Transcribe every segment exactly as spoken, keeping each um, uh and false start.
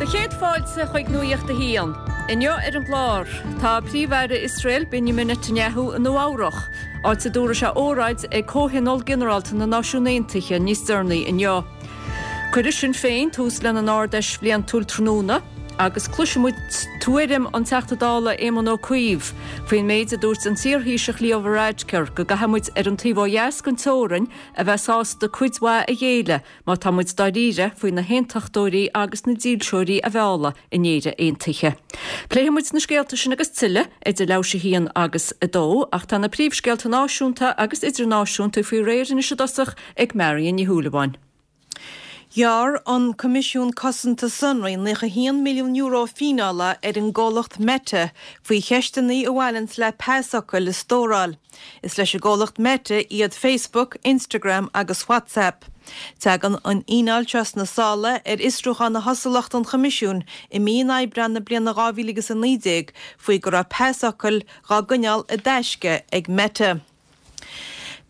Do chéad fáilte chuig Nuacht a hAon. Inniu ar an gclár, tá Príomh-Aire Iosrael Benjamin Netanyahu i Nua Eabhrac, áit a dtabharfaidh sé óráid ag Comhthionól Ginearálta na Náisiún Aontaithe níos deireanaí inniu. Cuirfidh Sinn Féin tús lena n-Ard-Fheis bhliantúil tráthnóna, agus cloisfimid tuairim an Teachta Dála Éamon Ó Cuív faoin méid a dúirt an t-iarThaoiseach Leo Varadkar go gcaithfidh muid ar an taobh ó dheas den teorainn a bheith sásta cuid mhaith a ghéilleadh má tá muid dáiríre faoi na haontachtóirí agus na dílseoirí a mhealladh in Éire Aontaithe. Pléifidh muid na scéalta sin agus tuilleadh idir leathuair théis a haon agus a dó, ach tá na príomhscéalta náisiúnta agus idirnáisiúnta faoi réir anois i dtosach ag Marion Ní Shúilleabháin. Ghearr an Coimisiún Cosanta Sonraí naocha haon milliún euro fíneála ar an gcomhlacht Meta faoi cheisteanna a bhaineanns le pasfhocail a stóráil. Is leis an gcomhlacht Meta iad Facebook, Instagram agus WhatsApp. Tagann an fhíneáil seo sna sála ar fhiosrúchán a thosaigh lucht an Choimisiúin i mí an Aibreáin na bliana dhá mhíle agus a naoi déag faoi go raibh pasfhocail dhá gcoinneáil i dtaisce ag Meta.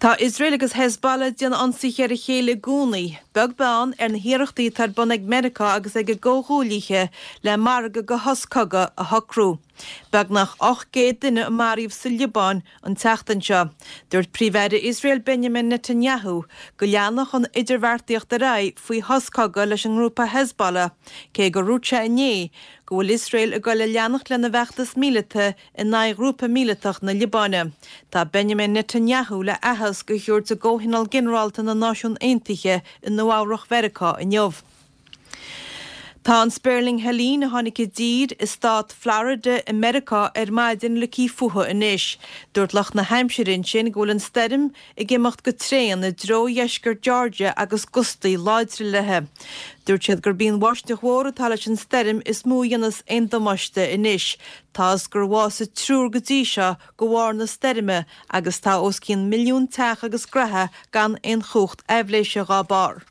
Tá Iosrael agus Hezbollah ag déanamh ionsaithe ar a chéile i gcónaí, beag beann ar na hiarrachtaí atá ar bun ag Meiriceá agus ag a gcomhghuaillithe le margadh de shos cogaidh a shocrú. Beagnach ocht gcéad duine a maraíodh sa Liobáin an tseachtain seo. Dúirt Príomh-Aire Iosrael Benjamin Netanyahu go leanfadh an idirbheartaíocht ar aghaidh faoi shos cogaidh leis an ngrúpa Hezbollah, cé gur dhúirt sé inné go bhfuil Iosrael ag goil a leanacht lena bhfeachtas míleata in aghaidh ghrúpa míleatach na Liobáine. Tá Benjamin Netanyahu le aitheasc a thabhairt i gComhthionól Ginearálta na Náisiún Aontaithe i Nua Eabhrac Mheiriceá inniu. Tá an spéirling Helene a tháinig i dtír i stát Florida i Meiriceá ar maidin ligthe fúthu anois. Dúirt lucht na haimsire ansin go bhfuil an stoirm ag imeacht go tréan i dtreo dheisceart Georgia agus gustaí láidre léi. Dúirt siad gurb í an bháisteach mhór atá leis an stoirm is mó a dhéanas aon damáiste anois. Tá's gur bhásaigh triúr go dtí seo de bharr na stoirme agus tá os cionn milliún teach agus gnaithe gan aon chumhacht aibhléise dhá barr.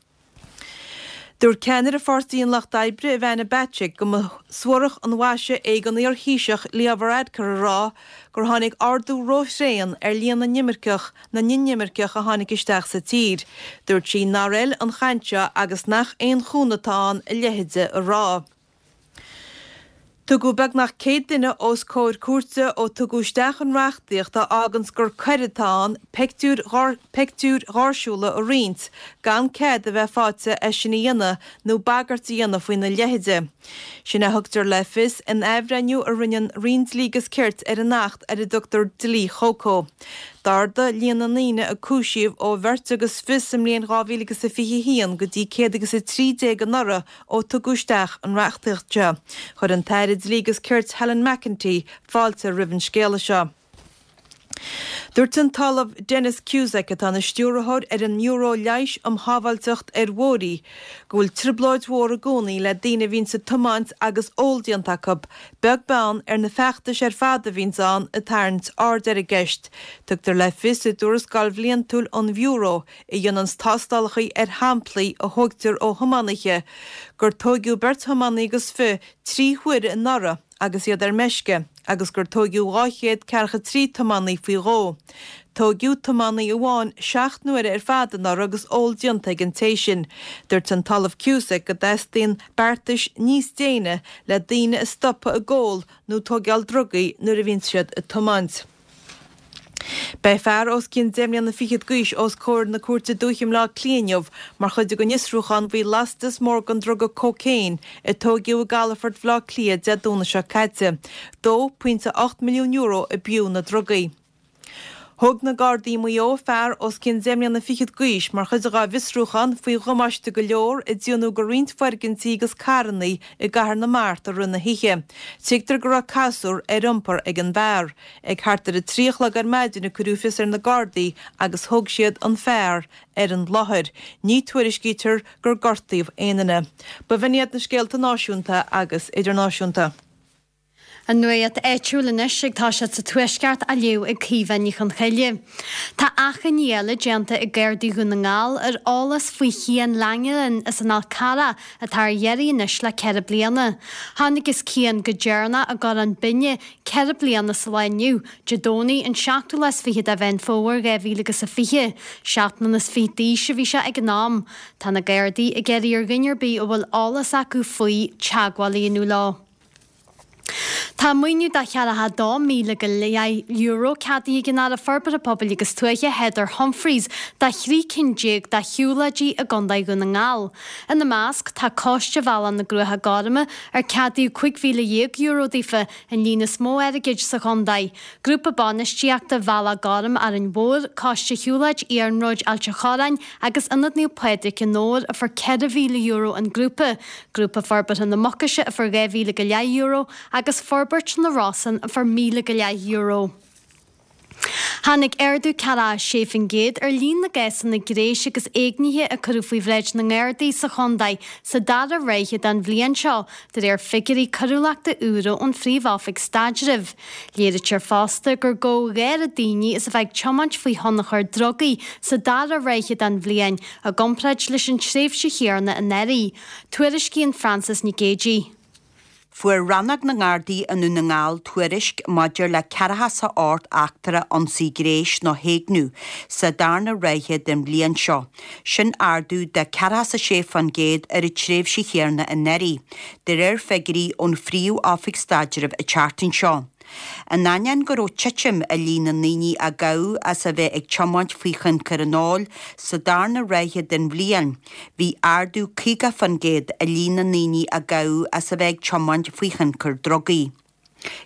Dúirt ceannaire Pháirtí an Lucht Oibre, Ivana Bacik, go mba suarach an mhaise é don iar-Thaoiseach Leo Varadkar a rá gur tháinig ardú róthréan ar líon na n-imirceach na n-inimirceach a tháinig isteach sa tír. Dúirt sí nár fheil an chaint seo agus nach aon chúnamh atá ann a leithéide a rá. Tugadh beagnach céad duine os comhair cúirte ó tugadh isteach an reachtaíocht a fháganns gur coir atá ann peictiúir peictiúir gháirsiúla a roinnt gan cead a bheith faighte é sin a dhéanamh nó bagairt a dhéanamh faoina leithide. Sin a thugtar le fios in athbhreithniú a rinne an Roinn Dlí agus Cirt ar an Acht ar a dtugtar Dlí Choco. D'ardaigh líon na ndaoine a cúisíodh ó bheirt agus fiche sa mbliain dhá mhíle agus a fiche a haon go dtí céad agus a trí déag anuraidh ó tugadh isteach an reachtaíocht seo. Chuir an tAire Dlí agus Cirt Helen McEntee fáilte roimh an scéala seo. Dúirt an tOllamh Denis Cusack, atá ina stiúrthóir ar an mBiúró Leighis um Shábháilteacht ar Bhóithre, go bhfuil trioblóid mhór i gcónaí le daoine a bhíonns ag tiomáint agus ól déanta acu, beag beann ar na feachtais ar fad a bhíonns ann ag tarraingt aird ar an gceist. Tugtar le fios i dtuarascáil bhliantúil an Bhiúró, a dhéananns tástálacha ar shamplaí a thógtar ó thiománaithe, gur tóigeadh beirt thiománaí agus fiche trí huaire anuraidh agus iad ar meisce agus gur tóigeadh dhá chéad ceathracha trí tiománaí faoi dhó. Tóigeadh tiománaí amháin seacht n-uaire ar fad anuraidh agus ól déanta ag an té sin. Dúirt an tOllamh Cusack go dteastaíonn beartais níos déine le daoine a stopadh ag ól nó tóigeáil drugaí nuair a bhíonn siad ag tiomáint. Beidh fear os cionn deich mbliana fichead d'aois os comhair na Cúirte Dúiche i mBleá Cliath inniu mar chuid den fhiosrúchán faoi lastas mór den druga cócaon a tóigeadh i gcalafort Bhaile Átha Cliath Dé Domhnaigh seo caite. Dó pointe ocht milliún euro a b'fhiú na drugaí. Thóg na Gardaí i Maigh Eo fear os cionn deich mbliana fichead d'aois mar chuid dhá bhfiosrúchán faoi dhamáiste go leor a déanadh go roinnt foirgintí agus carrannaí i gCathair na Mart i rith na hoíche. Tuigtear go raibh casúr ar iompar ag an bhfear. Ag thart ar a trí a chlog ar maidin a cuireadh fios ar na Gardaí agus thóg siad an fear ar an láthair. Ní tuairiscítear gur gortaíodh aon duine. B'in iad na scéalta náisiúnta agus idirnáisiúnta. An nuacht áitiúil anois ag toiseacht sa Tuaisceart á léamh ag Caoimhe Ní Chonchoille. Tá achainí eile déanta ag Gardaí Dhún na nGall ar eolas faoi Chian Langelan as an Fhál Carrach atá ar iarraidh anois le ceithre bliana. Thángthas Cian go deireanach i gCorrán Binne ceithre bliana sa lá inniu, Dé Domhnaigh an seachtú lá is fiche de Mheán Fómhair dhá mhíle agus a fiche. Seacht mbliana is fiche d'aois a bhí sé ag an am. Tá na Gardaí ag iarraidh ar dhuine ar bith a bhfuil eolas acu faoi teagmháil a dhéanamh leo. Tá maoiniú de cheathracha dó míle go leith euro ceadaithe ag an Aire Forbartha Pobail agus Tuaithe Heather Humphreys do thrí cinn déag de shiúlóidí i gContae Dhún na nGall. Ina measc tá Coiste Bhealach na gCruacha Gorma ar ceadaíodh cúig mhíle dhéag euro daofa, an líon is mó airgid sa chontae, Grúpa Bainistíochta Bhealach Gorm Árainn Mhór, Coiste Shiúlóid Iarnróid Ailt an Chorráin agus Ionad Naomh Pádraig i nDobhar a fuair ceithre mhíle euro an grúpa, Grúpa Forbartha na Mucaise a fuair dhá mhíle go leith euro agus Forbairt na Rosann a fuair míle go leith euro. Tháinig ardú ceathracha sé faoin gcéad ar líon na gcásanna gnéis agus éignithe a cuireadh faoi bhráid na nGardaí sa chontae sa dara ráithe den bhliain seo, de réir figiúirí coiriúlachta úra ón Phríomh-Oifig Staidrimh. Léirítear fosta gur gabhadh dhá oiread daoine is a bheith ag tiomáint faoi thionchar drugaí sa dara ráithe den bhliain i gcomparáid leis an tréimhse chéanna anuraidh. Tuairiscíonn Frances Nic Géadaigh. Fuair Rannóg na nGardaí i nDún na nGall tuairisc maidir le ceathracha is a hocht eachtra ionsaí gnéis nó héigniú sa darna ráithe den bhliain seo. Sin ardú de ceathracha is a sé faoin gcéad ar an tréimhse chéanna anuraidh, de réir figiúirí ón Phríomh-Oifig Staidrimh an tseachtain seo. In ainneoin go raibh titim i líon na ndaoine a gabhadh as a bheith ag tiomáint faoi thionchar an óil sa darna ráithe den bhliain, bhí ardú caoga faoin gcéad i líon na ndaoine a gabhadh as a bheith ag tiomáint faoi thionchar drugaí.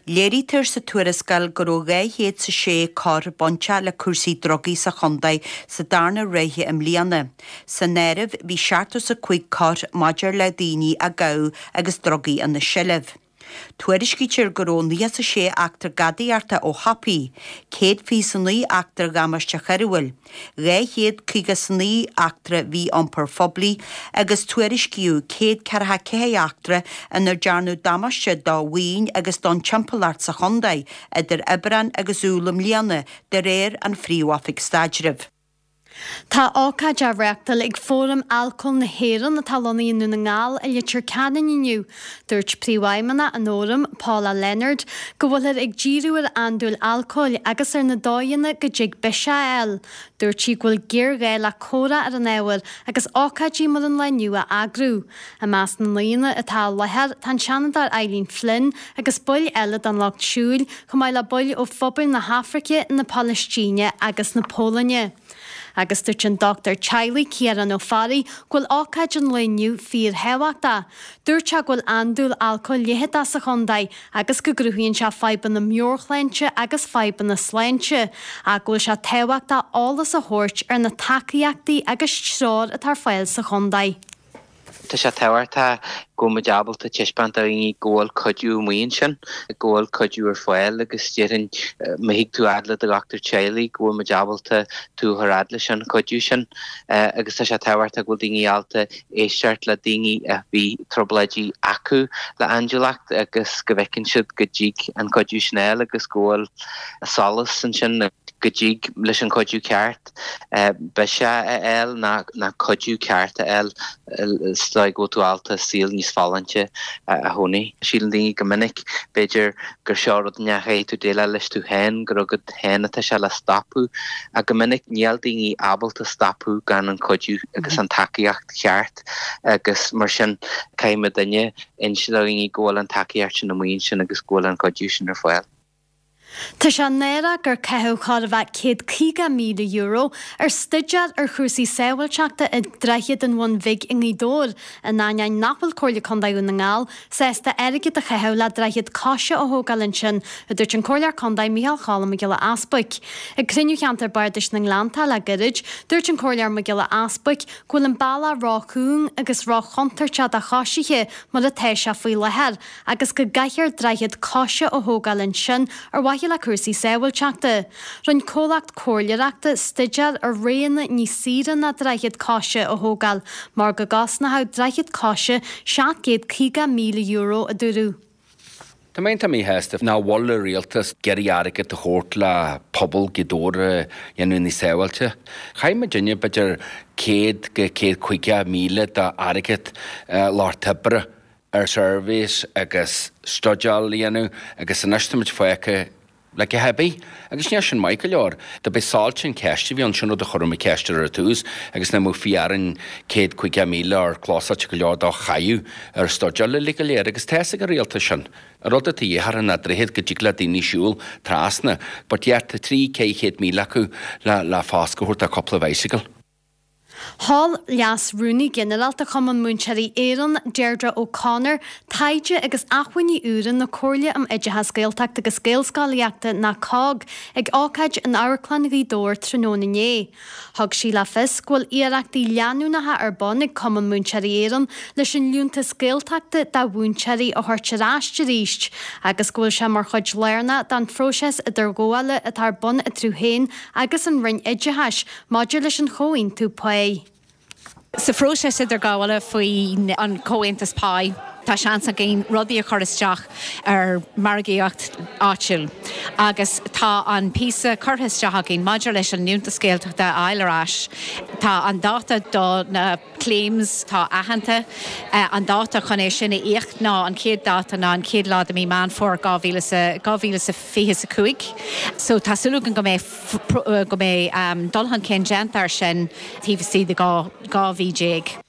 Léirítear sa tuarascáil go raibh dhá chéad 's a sé coir bainteach le cúrsaí drugaí sa chontae sa darna ráithe i mbliana. San áireamh bhí seachtó 's a cúig coir maidir le daoine a gabhadh agus drugaí ina seilbh. Tuairiscítear go raibh nócha 's a sé eachtra gadaíochta ó shiopaí, céad fiche 's a naoi eachtra dhamáiste choiriúil, dhá chéad caoga 's a naoi eachtra mhí-iompair phoiblí agus tuairiscíodh céad ceathracha ceathair eachtra inar dearnadh damáiste do mhaoin agus don timpeallacht sa chontae idir Aibreán agus Iúil i mbliana, de réir an Phríomh-Oifig Staidrimh. Tá ócáid á reáchtáil ag Fóram Alcóil na hÉireann atá lonnaithe i nDún na nGall i Leitir Ceanainn inniu. Dúirt Príomhfheidhmeannach an Fhóraim, Paula Leonard, go bhfuilthear ag díriú ar andúil alcóil agus ar na dóigheanna go dtig biseach a fháil. Dúirt sí go bhfuil géarghá le comhrá ar an ábhar agus ócáidí mar an lá inniu a eagrú. I measc na n-aíonna atá i láthair tá an Seanadóir Eileen Flynn agus baill eile den Lucht Siúil, chomh maith le baill ó phobail na hAfraice, na Palaistíne agus na Polainne. Agus dúirt an dochtúir teaghlaigh Ciarán Ó Fearraigh go bhfuil ócáid an lae inniu fíorthábhachtach. Dúirt sé go bhfuil andúil alcóil leitheadach sa chontae agus go gcruthaíonn sé fadhbanna meabhairshláinte agus fadhbanna sláinte, ach go bhfuil sé tábhachtach eolas a thabhairt ar na tacaíochtaí agus treoir atá ar fáil sa chontae. Tá sé tábhachtach go bhfuil muid ábalta taispeáint do dhaoine go bhfuil cuidiú amuigh ansin, go bhfuil cuidiú ar fáil agus déarfainn má thig tú fhad le do dhochtúir teaghlaigh go bhfuil muid ábalta tú a chur fhad leis an chuidiú sin. Agus tá sé tábhachtach go bhfuil daoine ábalta éisteacht le daoine a bhí trioblóidí acu le andúileacht agus go bhfeiceann siad go dtig an cuidiú sin a fháil agus go bhfuil solas ansin go dtig leis an chuidiú ceart biseach a fháil ná cuidiú ceart a fháil is dóigh go bhfuil tú ábalta saol níos folláinte a chónaí. Síleann daoine go minic, b'fhéidir, gur seo rud nach gcaithfidh tú déileáil leis tú féin, gur agat féin atá sé le stopadh, ach go minic níl daoine ábalta stopadh gan an cuidiú agus an tacaíocht cheart agus mar sin caithfidh muidinne inse do dhaoine go bhfuil an tacaíocht sin amuigh ansin agus go bhfuil an cuidiú sin ar fáil. Tá sé náireach gur caitheadh chóir a bheith céad caoga míle euro ar staidéar ar chúrsaí sábháilteachta ag Droichead an Bhun Bhig i nGaoth Dobhair, in ainneoin nach bhfuil Comhairle Contae Dhún na nGall sásta airgead a chaitheamh le droichead coise a thógáil ansin, a dúirt an Comhairleoir Contae Micheál Cholm Mac Giolla Easbuic. Ag cruinniú Cheantar Bardais na nGleanntach le gairid, dúirt an Comhairleoir Mac Giolla Easbuic go bhfuil an bealach ró-chúng agus ró-chontúirteach do choisithe mar atá sé faoi láthair agus go gcaithfear droichead coise a thógáil ansin ar mhaithe le cúrsaí sábháilteachta. Rinne comhlacht comhairleoireachta staidéar ar roghanna níos saoire ná droichead coise a thógáil mar go gcosnódh droichead coise seacht gcéad caoga míle euro, a dúradh. Tá mé iontach míshásta nach bhfuil an rialtas ag iarraidh airgead a thabhairt le pobal Ghaoth Dobhair a dhéanamh níos sábháilte. Chaith muidinne b'fhéidir céad go céad caoga míle d'airgead lucht oibre ar surveys agus studáil a dhéanamh agus anois tá muid fágtha le a dhath ar bith. Agus níl sin maith go leor. Do b'é soilse an cheist a bhí ann, sin rud a chuir mé ceist ar ar tús agus nach mbeadh fiú orainn céad caoga míle ar closáite go leor dá chaitheamh ar studáil uilig go léir agus tá fhios ag an rialtas sin. An rud atá de dhíth orthu ná droichead go dtig le daoine siúl trasna, but yet tá trí ceithre chéad míle acu le le foscadh a thabhairt do cúpla bicycle. Sheol Leas-Rúnaí Ginearálta Chumann Múinteoirí Éireann, Deirdre O'Connor, taighde agus acmhainní úra na Comhairle um Oideachas Gaeltachta agus Gaelscolaíochta ná COGG ag ócáid in Amharclann Ghaoth Dobhair tráthnóna inné. Thug sí le fios go bhfuil iarrachtaí leanúnacha ar bun ag Cumann Múinteoirí Éireann leis an Liúntas Gaeltachta do mhúinteoirí a thabhairt ar ais arís agus go bhfuil sé mar chuid lárnach den phróiseas idirghabhála atá ar bun eatarthu féin agus an Roinn Oideachais maidir leis an chomhaontú páí. Sa phróiseas idirghabhála faoin an comhaontas páí, tá seans againn rudaí a chur isteach ar margaíocht áitiúil. Agus tá an píosa curtha isteach againn maidir leis an Liúntas Gaeltachta a fháil ar ais. Tá an dáta do na claims tá aitheanta an dáta chun é sin a íoc ná an chéad dáta ná an chéad lá de mí Meán Fómhair dhá mhíle is fiche a cúig. So tá súil againn go mbeidh go mbeidh dul chun cinn déanta air sin taobh istigh de dhá mhí déag.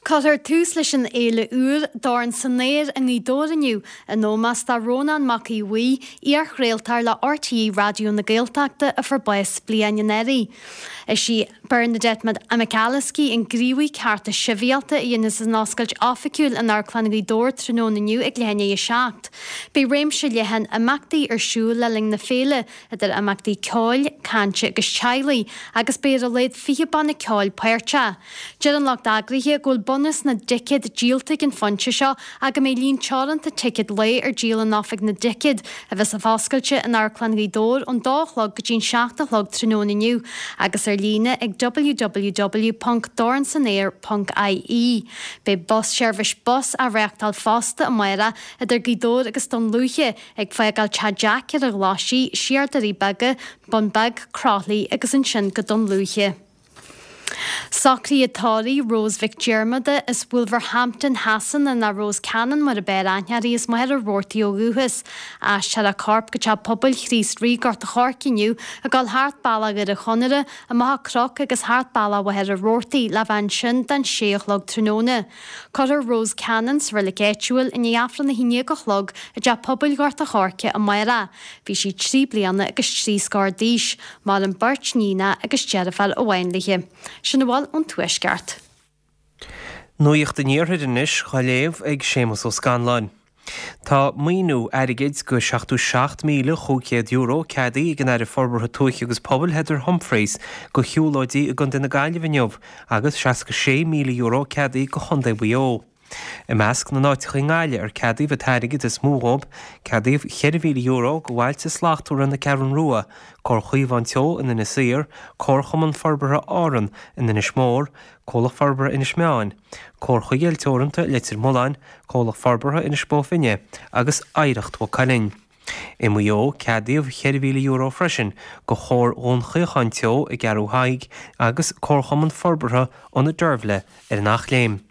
Cuirfear tús leis an fhéile úr Dorn san Aer i nGaoth Dobhair inniu, in ómós do Rónán Mac Aodha Bhuí, iarchraoltóir le RTÉ Raidió na Gaeltachta a fuair bás bliain anuraidh. Is í Bernadette McAliskey an gníomhaí cearta sibhialta a dhéanfas an oscailt oifigiúil in Amharclann Ghaoth Dobhair tráthnóna inniu ag leath i ndiaidh a seacht. Beidh réimse leathan imeachtaí ar siúl le linn na féile, idir imeachtaí ceoil, cainte agus teaghlaigh, agus beidh ar a laghad fiche banna ceoil páirteach. Deir an lucht eagraithe go bhfuil bunús na dticéad díolta ag an phointe seo ach go mbeidh líon teoranta ticéad lae ar díol in oifig na dticéad, a bheas oscailte in Amharclann Ghaoth Dobhair ón dó a chlog go dtí an seacht a chlog tráthnóna inniu agus ar líne ag www.dornsanaer.ie. Beidh bus seirbhís bus á reáchtáil fosta amárach idir Gaoth Dobhair agus Dún Lúiche ag fágáil Teach Jack ar an Ghlaisigh, siar Doirí Beaga, Bun Beag, Croithlí agus ansin go Dún Lúiche. Socruithe tórraimh Rose Mhic Diarmada as Wolverhampton Shasana ná Rose Cannon mar ab fhearr aithne uirthi as Machaire Rabhartaigh ó dhúchas. Aistreofar a corp go Teach Pobail Chríost Rí Gort a' Choirce inniu ag dul thart bealach Dhoire Chonaire, amach an Cnoc agus thart bealach Mhachaire Rabhartaigh le bheith ansin don sé a chlog tráthnóna. Cuirfear Rose Cannon sa reilig áitiúil i ndiaidh Aifreann a haon déag a chlog i dTeach Pobail Ghort a' Choirce amárach. Bhí sí trí bliana agus trí scór d'aois. Maireann beirt níonacha agus deirfiúr amháin léi. Sin a bhfuil ón Tuaisceart. Nuacht an Iarthair anois á léamh ag Séamus Ó Scanláin. Tá maoiniú airgid go seachtó seacht míle chúig chéad euro ceadaithe ag an Aire Forbartha Tuaithe agus Pobail Heather Humphreys go shiúlóidí i gContae na Gaillimhe inniu agus seasca sé míle euro ceadaithe go Chontae Mhaigh Eo. I measc na n-áiteacha i nGaillimh ar ceadaíodh an t-airgead is mó dhóibh, ceadaíodh cheithre mhíle euro go Bhailte Slachtmhara na Ceathrún Rua, Comhar Chaomhán Teo in Inis Oírr, Comharchumann Forbartha Árann in Inis Mór, Comhlacht Forbartha Inis Meáin, Comhar Chuigéil Teoranta Leitir Mealláin, Comhlacht Forbartha Inis Bó Finne agus Oidhreacht Mhaigh Cuilinn. I Maigh Eo, ceadaíodh cheithre mhíle euro freisin go Chomhar Dhún Chaocháin Teo i gCeathrú Thaidhg agus Comharchumann Forbartha Ionad Deirbhile ar an Eachléim.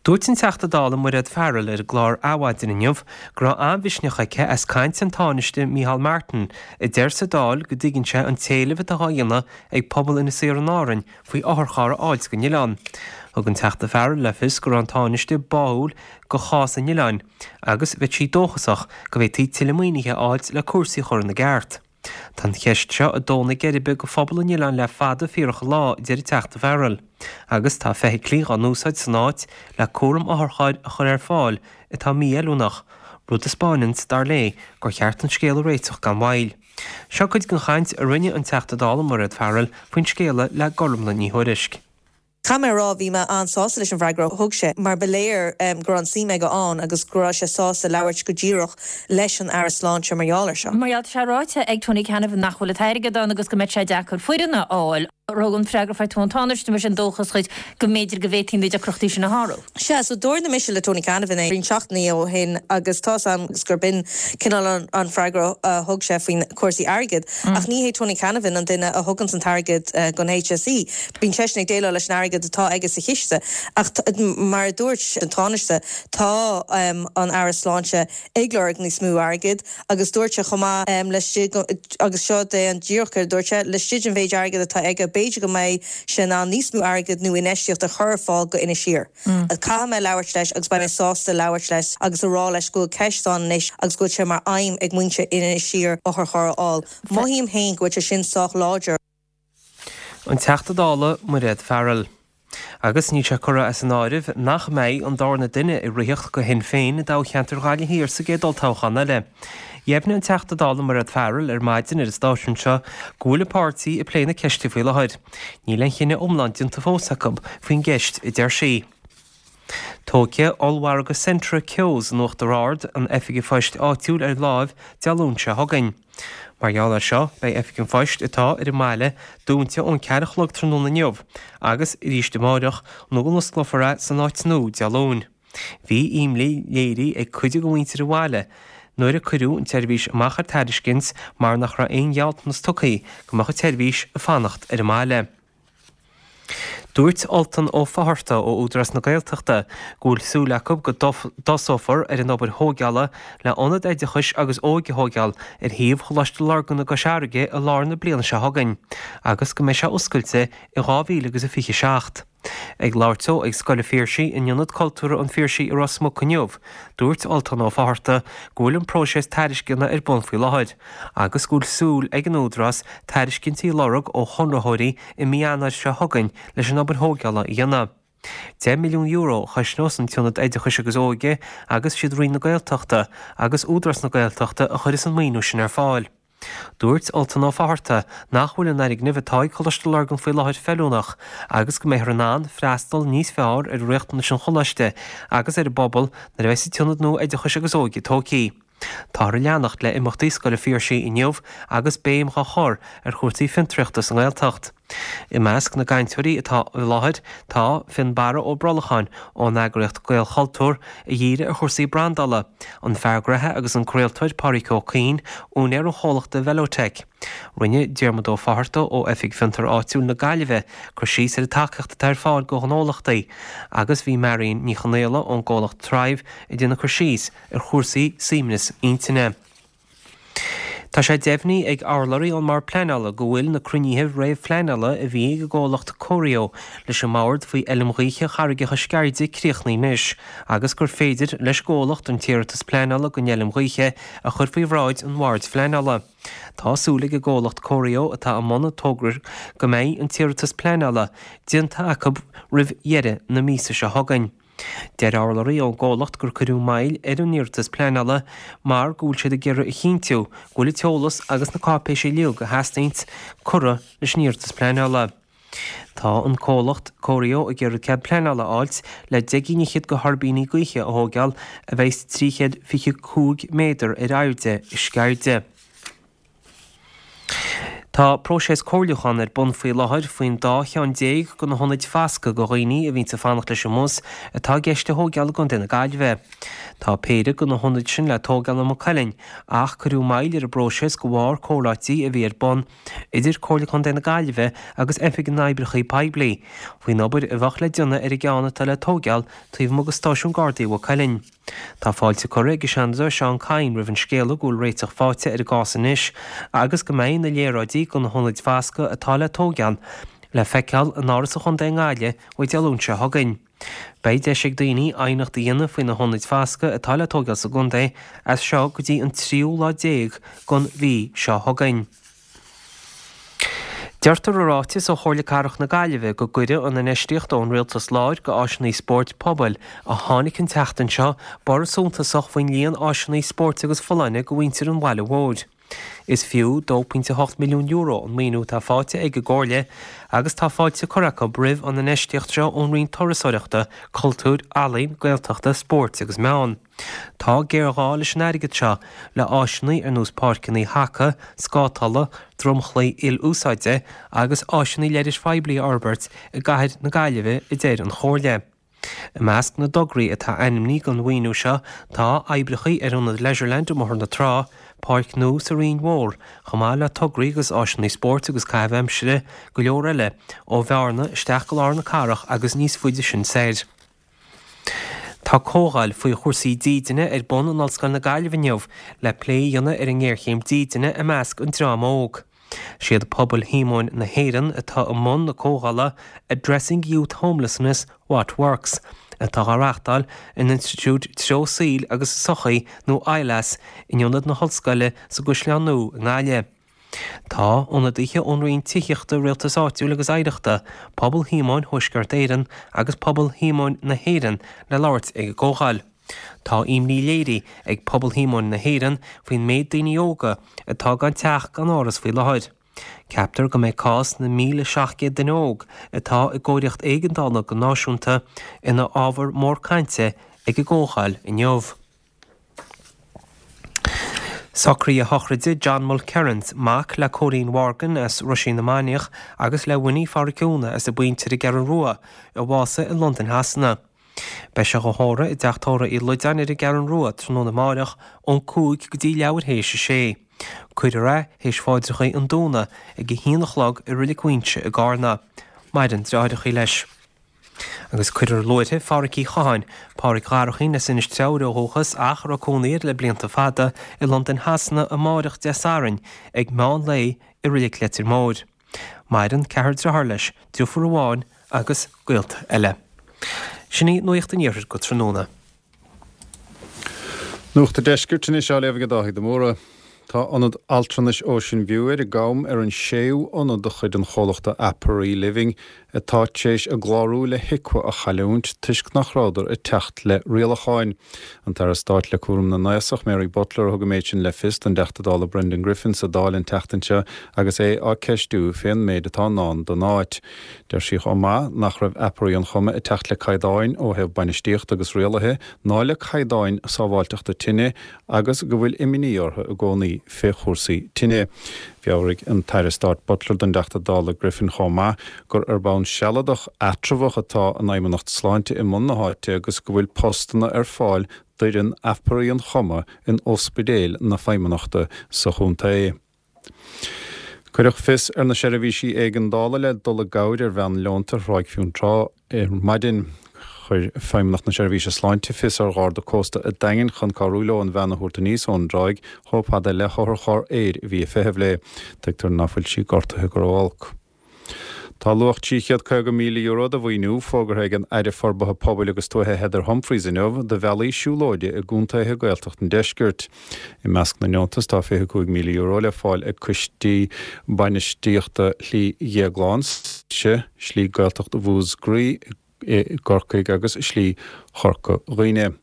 Dúirt an Teachta Dála Mairéad Farrell ar an gclár Adhmhaidin inniu go raibh an-mhisneach aici as caint an Tánaiste Micheál Martin, a deir sa Dáil go dtuigeann sé an t-éileamh atá á dhéanamh ag pobal Inis Oírr in Árainn faoi otharcharr a fháilt don oileán. Thug an Teachta Farrell le fios go raibh an Tánaiste báúil go chás an oileáin agus bheadh sí dóchasach go bhféadfaí tuilleadh maoinithe a fháilt le cúrsaí a chur ina gceart. Tá an cheist seo ag dó na geirbe go phobal an oileáin le fada fíorach an lá, a deir an Teachta Farrell, agus tá feithiclí dhá n-úsáid san áit le cúram otharchairr a chur ar fáil atá mífheiliúnach, rud a 'spáineanns, dar léi, gur cheart an scéal a réiteach gan mhoill. Seo cuid den chaint a rinne an Teachta Dála Mairéad Farrell faoin scéala le Gormlaith Ní Thuairisg. Caithfidh mé a rá, bhí mé an-sásta leis an bhfreagra a thug sé, mar ba léir go raibh an suim aige ann agus go raibh sé sásta labhairt go díreach leis an Aire Sláinte mar gheall air seo. Mar gheall, tá sé ráite ag Tony Canavan nach bhfuil an t-airgead ann agus go mbeidh sé deacair foireann a fháil. Thug an freagra faighte ón Tánaiste mar sin dóchas dhuit go mb'fhéidir go bhféadfaí na deacrachtaí sin a shárú. Sea, so dúirt mise le Tony Canavan é roinnt seachtainí ó shin agus tá's a'm gurb in cineál an, an freagra a thug sé faoin cúrsaí airgid. Mm. Ach ní hé Tony Canavan an duine a thugann an t-airgead uh, don H S E. Bíonn seisean ag déileáil leis an airgead atá aige sa chiste. Ach mar a dúirt an Tánaiste, tá um, an Aire Sláinte ag lorg níos mó airgid agus dúirt sé chomh maith um, leis agus seo é an díreach a dúirt sé laistigh den mhéid airgid atá aige b'fhéidir go mbeidh sé in ann níos mó airgid nó infheistíocht a chur ar fáil go Inis Oírr. Mm. Caithfidh mé labhairt leis agus beidh mé sásta labhairt leis agus a rá leis go bhfuil ceist ann anois agus go bhfuil sé mar aidhm ag muintir Inis Oírr otharcharr a fháil. Mothaím féin go bhfuil sé sin sách láidir. An Teachta Dála Mairéad Farrell. Agus níl sé curtha as an áireamh nach mbeidh an darna duine ag ritheacht do Shinn Féin i dtoghcheantar Ghaillimh Thiar sa gcéad olltoghchán eile. Dheimhnigh an Teachta Dála Mairéad Farrell ar maidin ar an stáisiún seo go bhfuil an páirtí ag plé na ceiste faoi láthair. Níl aon chinneadh iomlán déanta fós acu faoin gceist, a deir sí. Tógfaidh ollmhargadh Centra Keoghs in Uachtar Ard an oifig phoist áitiúil ar láimh Dé Luain seo chugainn. Mar gheall air seo, beidh oifig an phoist atá ar an mbaile dúnta ón ceathair a chlog tráthnóna inniu agus arís amárach nó go n-osclófar é san áit nua Dé Luain. Bhí imní léirithe ag cuid de mhuintir an bhaile nuair a cuireadh an tseirbhís amach ar tairiscint mar nach raibh aon ghealltanas tugtha go mbeadh an tseirbhís ag fanacht ar an mbaile. Dúirt Ultan Ó Fátharta ó Údarás na Gaeltachta go bhfuil súil acu go dtosófar ar an obair thógála le ionad oideachais agus óige a thógáil ar shuíomh Choláiste Lurgan i gCois Fharraige i lár na bliana seo chugainn agus go mbeidh sé oscailte i dhá mhíle agus a fiche seacht. Ag labhairt dó ag Scoil an Phiarsaigh in Ionad Cultúrtha an Phiarsaigh i Ros Muc inniu, dúirt Ultan Ó Fátharta go bhfuil an próiseas tairisceana ar bun faoi láthair agus go bhfuil súil ag an Údarás tairiscintí a lorg ó chonraitheoirí i mí Eanáir seo chugainn leis an obair thógála a dhéanamh. Deich milliún euro a chosnós an tIonad Oideachais agus Óige agus siad Roinn na Gaeltachta agus Údarás na Gaeltachta a chuirfeas an maoiniú sin ar fáil. Dúirt Ultan Ó Fátharta nach bhfuil an fhoirgneamh atá ag Coláiste Lurgan faoi láthair feiliúnach agus go mbeifear in ann freastal níos fearr ar riachtanais an choláiste agus ar an bpobal nuair a bheas an t-ionad nua oideachais agus óige tógtha. Táthar ag leanacht le imeachtaí Scoil an Phiarsaigh inniu agus béim á chur ar chúrsaí fiontraíochta sa nGaeltacht. I measc na gcainteoirí atá i láthair tá Fionnbarra Ó Brolacháin ón eagraíocht Gaelchultúr a dhírigh ar chúrsaí brandála, an fear gnoithe agus an craoltóir Pádraig Ó Cuinn, úinéir an chomhlachta Velotech. Rinne Diarmuid Ó Fátharta ó Oifig Fiontar Áitiúil na Gaillimhe cur síos ar an tacaíocht atá ar fáil do ghnólachtaí agus bhí Marion Ní Chonaola ón gcomhlacht Thrive ag déanamh cur síos ar chúrsaí suaimhneas intinne. Tá sé deimhnithe ag urlabhraí ón mBord Pleanála go bhfuil na cruinnithe réamhphleanála a bhí ag an gcomhlacht Corio leis an mbord faoi fheilm ghaoithe Charraigeacha Sceirde críochnaithe anois agus gur féidir leis an gcomhlacht an t-iarratas pleanála don fheilm ghaoithe a chur faoi bhráid an Bhoird Phleanála. Tá súil ag an gcomhlacht Corio atá i mbun an togra go mbeidh an t-iarratas pleanála déanta acu roimh dheireadh na míosa seo chugainn. Deir urlabhraí ón gcomhlacht gur cuireadh moill ar an iarratas pleanála mar go bhfuil siad ag iarraidh a chinntiú go bhfuil an t-eolas agus na cáipéisí uilig a theastaíonn curtha leis an iarratas pleanála. Tá an comhlacht Corio ag iarraidh cead pleanála a fháilt le deich gcinn fhichead de thuirbíní gaoithe a thógáil a bheas trí chéad fiche cúig méadar ar airde i Sceirde. Tá próiseas comhairliúcháin ar bun faoi láthair faoin dá cheann déag de na hionaid foscaidh do dhaoine a bhíonns ag fanacht leis an mbus atá i gceist a thógáil i gContae na Gaillimhe. Tá péire de na hionaid sin le tógáil i Maigh Cuilinn ach cuireadh moill ar an bpróiseas de bharr comhráití a bhí ar bun idir Comhairle Contae na Gaillimhe agus Oifig na nOibreacha Poiblí faoin obair a bheadh le déanamh ar an gceann atá le tógáil taobh amuigh de Stáisiún Gardaí Mhaigh Cuilinn. Tá fáilte curtha ag an Seanadóir Seán Kyne roimh an scéala go bhfuil réiteach faighte ar an gcás anois agus go mbeidh na léaráidí do na hionaid foscaidh atá le tógáil le feiceáil in Áras an Chontae i nGaillimh uaidh Dé Luain seo chugainn. Beidh deis ag daoine aighneacht a dhéanamh faoi na hionaid foscaidh atá le tógáil sa gcontae as seo go dtí an tríú lá déag den mhí seo chugainn. Deirtear i ráiteas ó Chomhairle Cathrach na Gaillimhe go gcuirfidh an infheistíocht ón Rialtas Láir go áiseanna spóirt pobail a tháinig an tseachtain seo borradh suntasach faoin líon áiseanna spóirt agus folláine do mhuintir an bhaile mhóir. Is fiú dó pointe hocht milliún euro an maoiniú atá faighte ag an gComhairle agus tá fáilte curtha acu roimh an infheistíocht seo ón Roinn Turasóireachta, Cultúir, Ealaíon, Gaeltachta, Spóirt agus Meán. Tá géarghá leis an airgead seo le áiseanna ar nós páirceanna haca, scátála, dromchlaí il-úsáide agus áiseanna leighis phoiblí a fhorbairt i gcathair na Gaillimhe, a deir an Chomhairle. I measc na dtograí atá ainmnithe don mhaoiniú seo tá oibreacha ar ionad Leisureland i mBóthar na Trá, páirc nua sa Rinn Mhór, chomh maith le tograí agus áiseanna spóirt agus caitheamh aimsire go leor eile, ó Bhearna isteach go lár na cathrach agus níos faide sin soir. Tá comhdháil faoi chúrsaí dídine ar bun in Ollscoil na Gaillimhe inniu le plé a dhéanamh ar an ngéarchéim dídine i measc an dream óg. Siad Pobal Shíomóin na hÉireann atá i mbun na comhdhála Addressing Youth Homelessness, What Works? atá á reáchtáil in Institiúid Treo Saoil agus Sochaí nó ILAS in Ionad na hOllscoile sa gCaisleán Nua i nGaillimh. Tá ionadaithe ón Roinn Tithíochta, Rialtais Áitiúil agus Oidhreachta, Pobal Shíomóin Thuaisceart Éireann agus Pobal Shíomóin na hÉireann le labhairt ag an gcomhdháil. Tá imní léirithe ag Pobal Shíomóin na hÉireann faoin méid daoine óga atá gan teach gan áras faoi láthair. Ceaptar go mbeidh cás na míle seacht gcéad duine óg atá i gcóiríocht éigeandála go náisiúnta ina ábhar mór cainte ag an gcomhdháil inniu. Socruithe sochraide John Mulkerrins, mac le Cóilín Morgan as Ruisín na Mainiach agus le Winnie Pháraic Úna as an bPointe ar an gCeathrú Rua, a bhásaigh i Londain Shasana. Beidh sé dhá thórramh i dTeach Tórraimh Uí Loideáin ar an gCeathrú Rua tráthnóna amáireach ón cúig go dtí leathuair théis a sé. Cuirfear é théis pháidreacha an Domhnaigh ag a haon a chlog i Reilig Mhuighinse i gCarna. Maireann deartháireacha leis. Agus cuirfear luaithre Pháraic Uí Chatháin, Páraic Dharchaín as Inis Treabhair ó dhúchas ach a raibh cónaí air le blianta fada i Londain Shasana amáireach Dé Sathairn ag meán lae i Reilig Leitir Móir. Maireann ceathrar dearthár leis, deirfiúr amháin agus gaolta eile. Sin í Nuacht an Iarthair go tráthnóna. Nuacht an Deiscirt anois á léamh ag Dáithí de Mórdha. Tá Ionad Altranais Ocean View ar an gCam ar an séú ionad de chuid an chomhlachta Aperee Living atá tar éis a gclárú le HIQA a chailliúint toisc nach rabhadar ag teacht le rialacháin. An tAire Stáit le cúram na nAosach, Mary Butler, a thug an méid sin le fios don dTeachta Dála Brendan Griffin sa Dáil an tseachtain seo agus é á ceistiú fén méid atá i ndán don áit. Deir sí chomh maith nach raibh Aperee an Choma ag teacht le caighdeáin ó thaobh bainistíochta agus rialaithe ná le caighdeáin sábháilteachta tine agus go bhfuil imní orthu i gcónaí fé chúrsaí tine. Mheabhraigh an tAire Stáit Butler don dTeachta Dála Griffin chomh maith gur ar bhonn sealadach eatramhach atá an Fheidhmeannacht Sláinte i mbun na háite agus go bhfuil postanna ar fáil d'fhoireann Aperee an Choma in ospidéil na Feidhmeannachta sa chontae. Cuireadh fios ar na seirbhísí éigeandála le dul i gcabhair ar bhean leonta ar Thráigh Fionntrá ar maidin. Chuir Feidhmeannacht na Seirbhíse Sláinte fios ar Gharda Cósta an Daingin chun cabhrú leo an bhean a thabhairt aníos ón dtráigh chomh fada le hotharcharr aeir a bhí ag feitheamh léi. Tuigtear ná fuil sí gortaithe go ró-olc. Tá luach trí chéad caoga míle euro de mhaoiniú fógartha ag an Aire Forbartha Pobail agus Tuaithe Heather Humphreys inniu do bhealaí siúlóide i gcontaetha Gaeltacht an Deiscirt. I measc na ndeontas tá fiche cúig míle euro le fáil ag coistí bainistíochta Shlí Dhéagláin, Slí Gaeltacht Mhúscraí i gCorcaigh agus Slí Chorca Dhuibhne.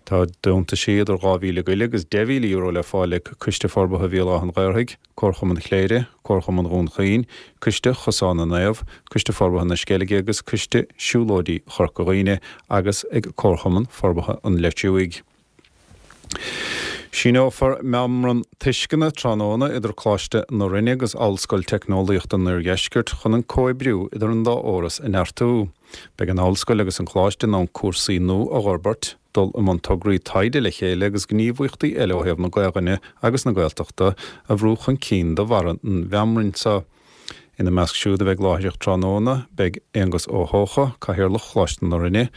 Tá deontaisí idir dhá mhíle go leith agus deich mhíle euro le fáil ag Coiste Forbartha Bhéal Átha an Ghaorthaidh, Comharchumann Chléire, Comharchumann Dhún Chaoin, Coiste Chosán na Naomh, Coiste Forbartha na Sceilge agus Coiste Siúlóidí Chorca Dhuibhne agus ag Comharchumann Forbartha an Leitriúigh. Síneofar meamram tuisceana tráthnóna idir Coláiste na Rinne agus Ollscoil Teicneolaíochta an Oirdheiscirt chun an comhoibriú idir an dá fhoras a neartú. Beidh an Ollscoil agus an Coláiste in ann cúrsaí nua a fhorbairt, dul i mbun tograí taighde le chéile agus gníomhaíochtaí eile ó thaobh na Gaelainne agus na Gaeltachta a bhrú chun cinn de bharr an mheamraim seo. Ina measc siúd a bheidh láithreach tráthnóna, beidh Aengus Ó hEocha, Cathaoirleach Choláiste na Rinne,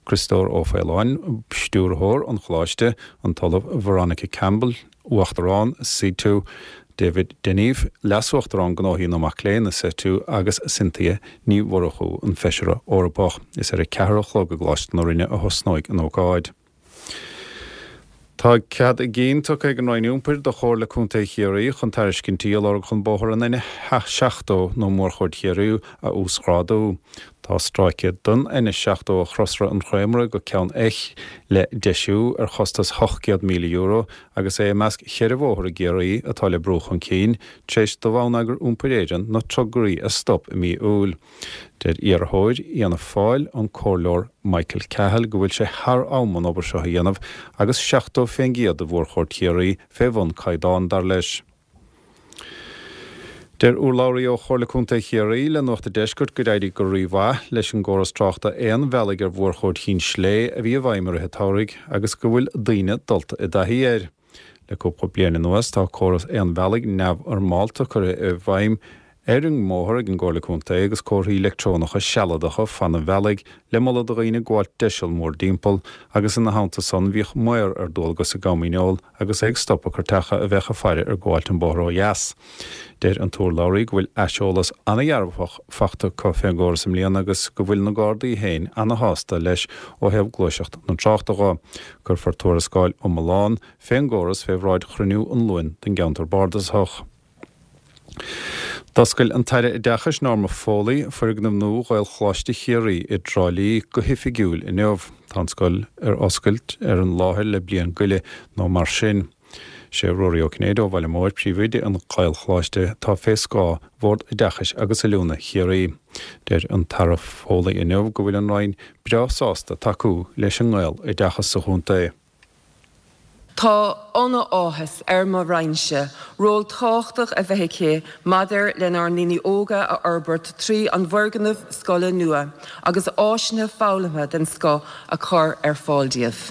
Criostóir Ó Faoláin, Stiúrthóir an Choláiste, an tOllamh Veronica Campbell, Uachtarán CTU, David Deneve, Leas-Uachtarán Gnóthaí na Mac Léinn i CTU agus Cynthia Ní Mhurchú, an Feisire Eorpach. Is ar a ceathair a chlog i gColáiste na Rinne a thosnóidh an ócáid. Tá cead a gcinn tugtha ag an Roinn Iompair do Chomhairle Contae Chiarraí chun tairiscintí a lorg chun bóthar an N seachtó nó Mórchuaird Chiarraí a uasghrádú. Tá stráice den N seachtó ó Chrosra an Chreamara go Ceann Eich le deisiú ar chostas ocht gcéad míle euro agus é i measc cheithre bhóthar i gCiarraí atá le brú chun cinn tar éis do Bhonneagar Iompair Éireann na tograí a stop i mí Iúil. Deir iarrthóir Fhianna Fáil, an Comhairleoir Michael Cahill, go bhfuil sé thar am an obair seo a dhéanamh agus seachtó fén gcéad de mhórchuaird Chiarraí fé bhun caighdeán, dar leis. Deir urlabhraí ó Chomhairle Contae Chiarraí le Nuacht an Deiscirt gur éirigh go rímhaith leis an gcóras tráchta aon bhealaigh ar mhórchuaird Chinn Slé a bhí i bhfeidhm i rith an tsamhraidh agus go bhfuil daoine dulta i dtaithí air. Le cúpla bliain anuas tá córas aon bhealaigh neamhfhoirmeálta curtha i bhfeidhm ar an mbóthar ag an gComhairle Contae agus comharthaí leictreonacha sealadacha fan an bhealaigh le moladh do dhaoine gabháilt deiseal mórdtimpeall agus ina theannta san bhíodh maor ar dualgas i gCom Dhíneol agus é ag stopadh cairteacha a bheadh ag faire ar ghabháilt an bóthar ó dheas. Deir an t-urlabhraí go bhfuil aiseolas ana-dhearfach fachta acu fén gcóras i mbliana agus go bhfuil na Gardaí féin ana-shásta leis ó thaobh gluaiseacht na tráchta dho. Cuirfear tuarascáil iomlán fén gcóras fé bhráid chruinniú an Luain den gCeantar Bardasach. D'oscail an tAire Oideachais Norma Foley foirgneamh nua Ghaelcholáiste Chiarraí i dTrá Lí go hoifigiúil inniu. Tá an scoil ar oscailt ar an láthair le bliain go leith nó mar sin. Sé Ruairí Ó Cinnéide ó Bhaile Móir príomhoide an Ghaelcholáiste atá fé scáth Bhord Oideachais agus Oiliúna Chiarraí. Deir an tAire Foley inniu go bhfuil an Roinn breá sásta tacú leis an nGaeloideachas sa chontae. Tá an-áthas ar mo Roinnse ról tábhachtach a bheith aici maidir lenár ndaoine óga a fhorbairt trí an bhfoirgneamh scoile nua agus áiseanna foghlamtha den scoth a chur ar fáil díobh.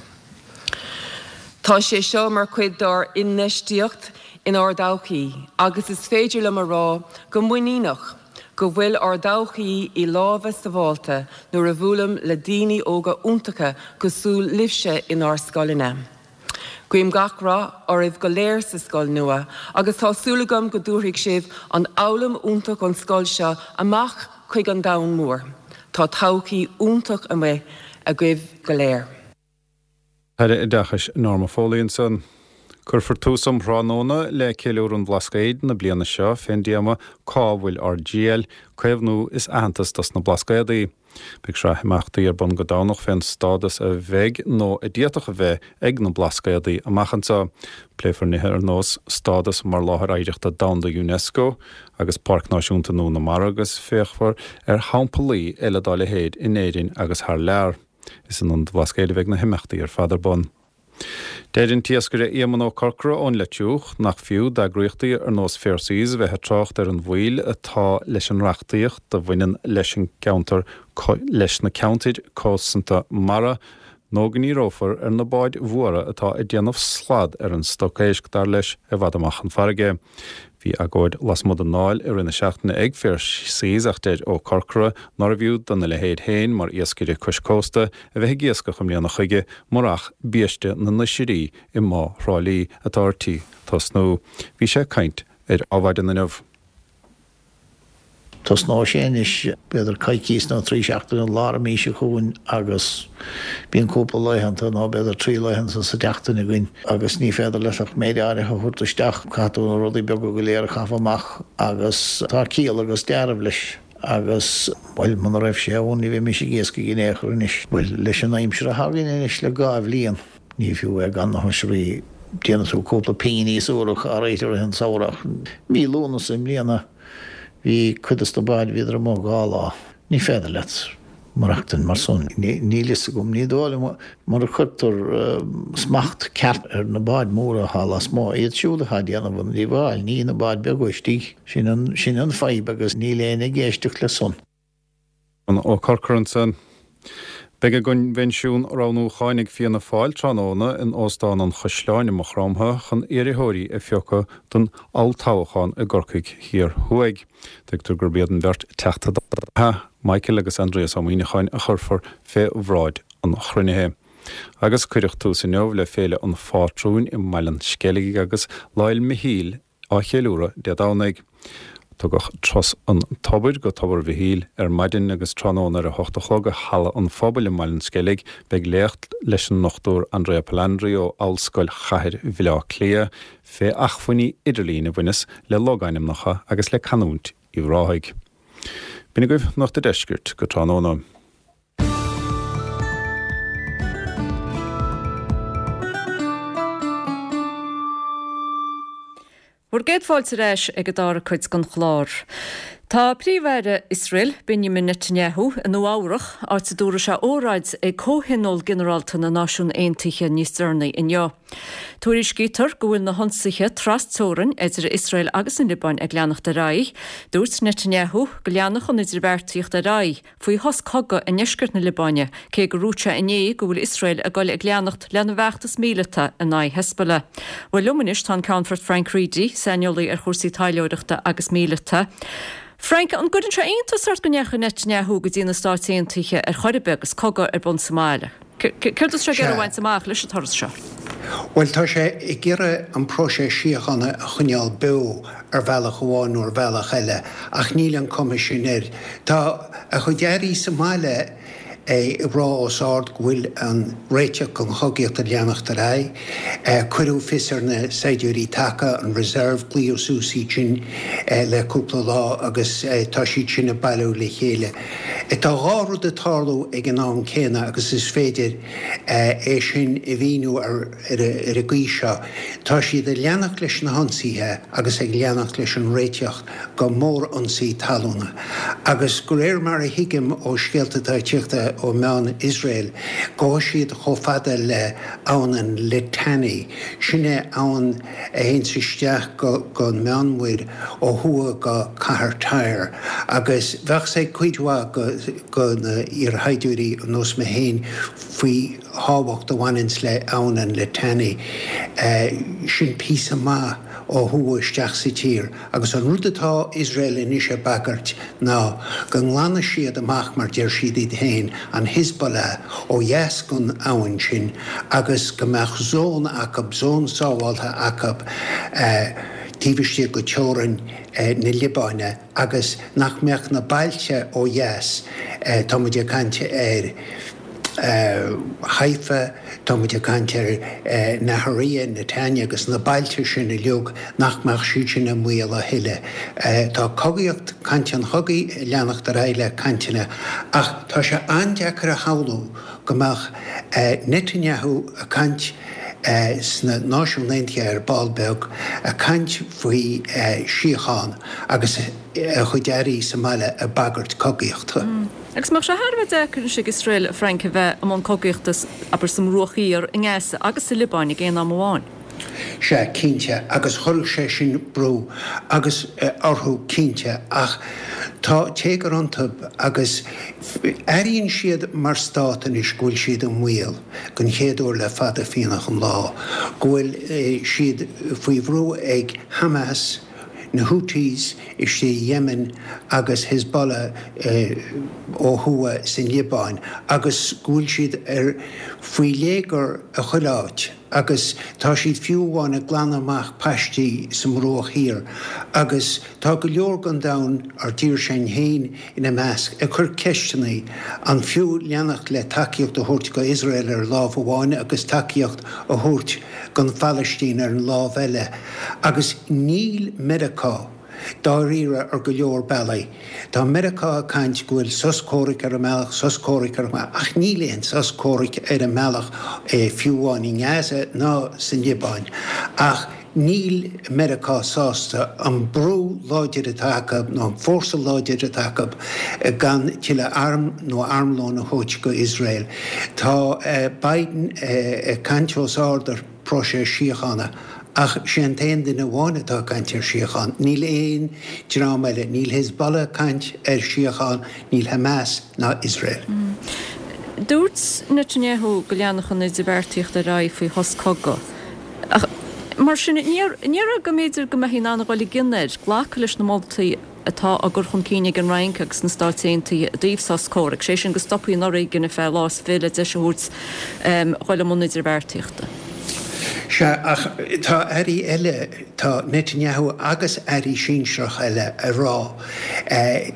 Tá sé seo mar chuid dár n-infheistíocht inár dtodhchaí agus is féidir liom a rá go muiníneach go bhfuil ár dtodhchaí i lámha sábháilte nuair a bhuailim le daoine óga iontacha cosúil libhse inár scoileanna. Guím gach rath oraibh go léir sa scoil nua agus tá súil agam go dtabharfaidh sibh an fhoghlaim iontach ón scoil seo amach chuig an domhan mór. Tá todhchaí iontach amuigh agaibh go léir. Aire Oideachais Norma Foley ansan. Cuirfear tús um thráthnóna le Ceiliúradh an Bhlascaoid na bliana seo fén dtéama Cá bhfuil ár dTriall? Caomhnú is aitheantas dos na Blascaodaí. Beidh sraith imeachtaí ar bun go Domhnach fén stádas a bheidh nó a d'fhéadfadh a bheith ag na Blascaodaí amach anseo. Pléifear nithe ar nós stádas mar Láthair Oidhreachta Domhanda Unesco agus Páirc Náisiúnta nua na Mara agus féachfar ar shamplaí eile dá leithéid in Éirinn agus thar lear. Is in Ionad an Bhlascaoid a bheidh na himeachtaí ar fad ar bun. Deir an t-iascaire Éamonn Ó Corcora ón Leitriúch nach fiú d'eagraíochtaí ar nós Fair Seas a bheith ag trácht ar an mhoill atá leis an reachtaíocht a bhaineann leis an gceantar leis na ceantair cosanta mara nó go ndíreofar ar na báid mhóra atá ag déanamh slad ar an stoc éisc, dar leis, i bhfad amach chun farraige. Bhí agóid lasmuigh den Dáil i rith na seachtaine ag Fair Seas ach deir Ó Corcora nárbh fhiú dona leithéid féin mar iascaire cois cósta a bheith ag iascach i mbliana chuige murach biaiste na n-oisrí i mBá Thrá Lí atá ar tí tosnú. Bhí sé ag caint ar Adhmhaidin inniu. Tosnóidh sé anois, b'fhéidir coicíos nó trí seachtaine lár an mhí seo chugainn agus bíonn cúpla laethanta nó b'fhéidir trí laethanta sa tseachtain againn agus ní féidir leat ach méid áirithe a thabhairt isteach, caithfidh tú na rudaí beaga go léir a chaitheamh amach agus tá ciall agus dealramh leis agus, bhuel, muna raibh sé ann ní bheimis ag iascaigh in aon chor anois. Bhuel, leis an aimsir atá againn anois le dhá bhliain, ní fiú é gan na hoisrí, déanann tú cúpla pingin níos úrach áirithe i rith an tsamhraidh ach mí Lúnasa i mbliana, Bhí cuid dos na báid, bhíodar amuigh dhá lá. Ní féidir leat maireachtaint mar san. Níl fhios agam, ní dóigh liom, mura cuirtear smacht ceart ar na báid mhóra atá lasmuigh, iad siúd atá ag déanamh an díobháil, ní na báid beaga istigh. Sin an, sin an fadhb agus níl éinne ag éisteacht le san. Ó Corcora ansan. Beidh a gcoinbhinsiún roghnúcháin ag Fianna Fáil tráthnóna in Óstán an Chaisleáin i Maigh Chromtha chun iarrthóirí a phiocadh don olltoghchán i gCorcaigh Thiar Thuaidh. Tuigtear gurb iad an bheirt Teachta Dála, Michael agus Aindrias Ó Muíneacháin a chuirfear fé bhráid an chruinnithe. Agus cuireadh tús inniu le Féile an Phátrúin i mBaile an Sceilg agus Lá 'le Michíl á cheiliúradh Dé Domhnaigh. Tugadh Turas an Tobair go Tobar Mhichíl ar maidin agus tráthnóna ar a hocht a chlog i Halla an Phobail i mBaile an Sceilg beidh léacht leis an nDochtúir Andrea Palandri ó Ollscoil Chathair Bhaile Átha Cliath fé achmhainní idirlín a bhaineas le logainmneacha agus le canúint Uíbh Ráthaigh. B'in agaibh Nuacht an Deiscirt go tráthnóna. Bhur gcéad fáilte ar ais ag an dara cuid den chlár. Tá Príomh-Aire Iosrael, Benjamin Netanyahu, i Nua Eabhrach, áit a dtabharfaidh sé óráid ag Comhthionól Ginearálta na Náisiún Aontaithe níos deireanaí inniu. Tuairiscítear go bhfuil na hionsaithe tras-teorainn idir Iosrael agus an Liobáin ag leanacht ar aghaidh. Dúirt Netanyahu go leanfadh an idirbheartaíocht ar aghaidh faoi shos cogaidh i ndeisceart na Liobáine, cé gur dhúirt sé inné go bhfuil Iosrael ag dul ag leanacht lena bhfeachtas míleata in aghaidh Hezbollah. Bhuel, liom anois tá an Ceannfort Frank Reidy, saineolaí ar chúrsaí taidhleoireachta agus míleata. Frank, an gcuireann sé iontas ort go ndeachaigh Netanyahu go dtí na Stáit Aontaithe ar chor ar bith agus cogadh ar bun sa mbaile? Céard atá sé ag iarraidh a bhaint amach leis an turas seo? Bhuel, tá sé ag iarraidh an próiseas síochána a choinneáil beo ar bhealach amháin nó ar bhealach eile, ach níl an cuma sin air. Tá a chuid airí sa mbaile ag rá os ard go bhfuil an réiteach don chogaíocht ag leanacht ar aghaidh. Cuireadh fios ar na saighdiúirí taca, an reserve, glaodh suas iad sin le cúpla lá agus tá siad sin ag bailiú le chéile. Tá dhá rud ag tarlú ag an am céanna agus is féidir é sin a mhíniú ar an gcaoi seo, tá siad ag leanacht leis na hionsaithe agus ag leanacht leis an réiteach go mórionsaí talúna agus de réir mar a thuigim ó scéalta atá ag tíocht ó mheáin Iosrael, gabhfaidh siad chomh fada le Abhainn an Litani, sin é abhainn a théanns isteach go an Meánmhuir ó thuaidh go cathair Tyre, agus bheadh 's ag cuid mhaith go na iarshaighdiúirí ar nós mé féin faoi thábhacht a bhaineanns le Abhainn an Litani. Sin píosa maith ó thuaidh isteach sa tír agus an rud atá Iosrael anois ag bagairt ná go nglanfaidh siad amach, mar deir siad iad féin, an Hezbollah ó dheas gon abhainn sin agus go mbeadh zón acu, zón sábháltha acu taobh istigh go teorainn na Liobáine agus nach mbeadh na bailte ó dheas, tá muid ag caint ar. Haifa, tá muid ag caint ar Nahariya, Netanya agus na bailte sin uilig, nach mbeadh siad sin i mbaol a thuilleadh. Tá cogaíocht, caint an chogaidh ag leanacht ar aghaidh le cainteanna ach tá sé an-deacair a shamhlú go mbeadh Netanyahu ag caint sna Náisiúin Aontaithe ar ball beag, ag caint faoi síocháin agus a chuid airí sa mbaile ag bagairt cogaíochta. Agus an mbeadh sé thar a bheith deacair anois ag Iosrael, a Frank, a bheith i mbun cogaíochta, abair, sa mBruach Thiar, i nGaza agus sa Liobáin ag aon am amháin? Sea, cinnte, agus chuirfeadh sé sin brú agus orthu cinnte, ach tá téagar iontu agus airíonn siad mar stát anois go bhfuil siad i mbaol, den chéad uair le fada fiánach an lá, go bhfuil siad faoi bhrú ag Hamas, na Houthis istigh i Yemen agus Hezbollah ó thuaidh san Liobáin agus go bhfuil siad ar faoi léigear i chuile áit agus tá siad fiú amháin ag glanadh amach paistí sa mBruach Thiar agus tá go leor den domhan, ár dtír-sean féin ina measc, ag cur ceisteanna an fiú leanacht le tacaíocht a thabhairt go Iosrael ar lámh amháin agus tacaíocht a thabhairt don Phalaistín ar an lámh eile agus níl Meiriceá dáiríre ar go leor bealaí. Tá Meiriceá ag caint go bhfuil sos comhraic ar an mbealach, sos comhraic ar an mbealach, ach níl aon sos comhraic ar an mbealach fiú amháin i nGaza ná san Liobáin. Ach níl Meiriceá sásta an brú láidir atá acu nó an fórsa láidir atá acu gan tuilleadh arm nó armlón a thabhairt go Iosrael. Tá Biden ag caint os ard ar próiseas síochána ach sé an t-aon duine amháin atá ag caint ar síocháin. Níl aon dream eile, níl Hezbollah ag caint ar síocháin, níl Hamas ná Iosrael. Dúirt Netanyahu go leanfadh an idirbheartaíocht ar aghaidh faoi shos cogaidh. Ach mar sin, ní déarfá go mb'fhéidir go mbeifí in ann a dhul i gcion air glacadh leis na moltaí atá á gcur chun cinn ag an Fhrainc agus na Stáit Aontaithe i dtaobh sos comhraic, sé sin go stopfaí an fhoréigean ar feadh lá is fiche le deis a thabhairt dhul i mbun idirbheartaíochta. Sea, ach tá airí eile, tá Netanyahu agus airí sinsearacha eile ag rá,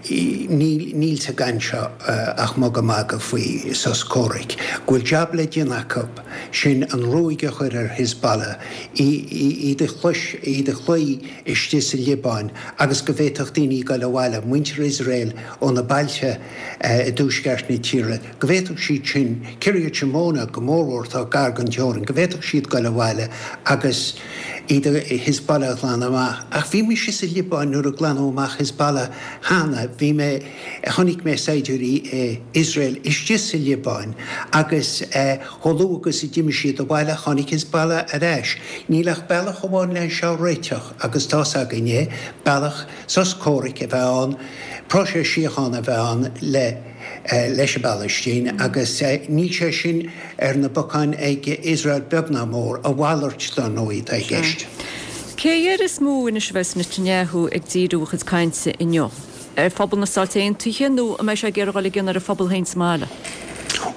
níl sa gcaint seo ach mugadh magadh faoi sos comhraic, go bhfuil jab le déanamh acu, sin an ruaig a chur ar Hezbollah, iad a iad a chloí istigh sa Liobáin agus go bhféadfadh daoine dul abhaile, muintir Iosrael ó na bailte i dtuaisceart na tíre, go bhféadfadh siad sin, Kiryat Shmona go mórmhór atá gar don teorainn, go bhféadfadh siad dul abhaile agus iad Hezbollah a ghlanadh amach. Ach bhí mise sa Liobáin nuair a glanadh amach Hezbollah cheana, bhí mé, chonaic mé saighdiúirí Iosrael istigh sa Liobáin agus chomh luath agus a d'imigh siad abhaile tháinig Hezbollah ar ais. Níl ach bealach amháin le seo a réiteach agus tá's againn é, bealach sos comhraic a bheith ann, próiseas síochána a bheith ann le leis an bPalaistín agus níl sé sin ar na bacáin ag Iosrael beag ná mór, a mhalairt dar ndóigh atá i gceist. Cé air is mó anois a bheas Netanyahu ag díriú a chuid cainte inniu? Ar phobal na Stát Aontaithe nó an mbeidh sé ag iarraidh dul i gcion ar a phobal féin sa mbaile?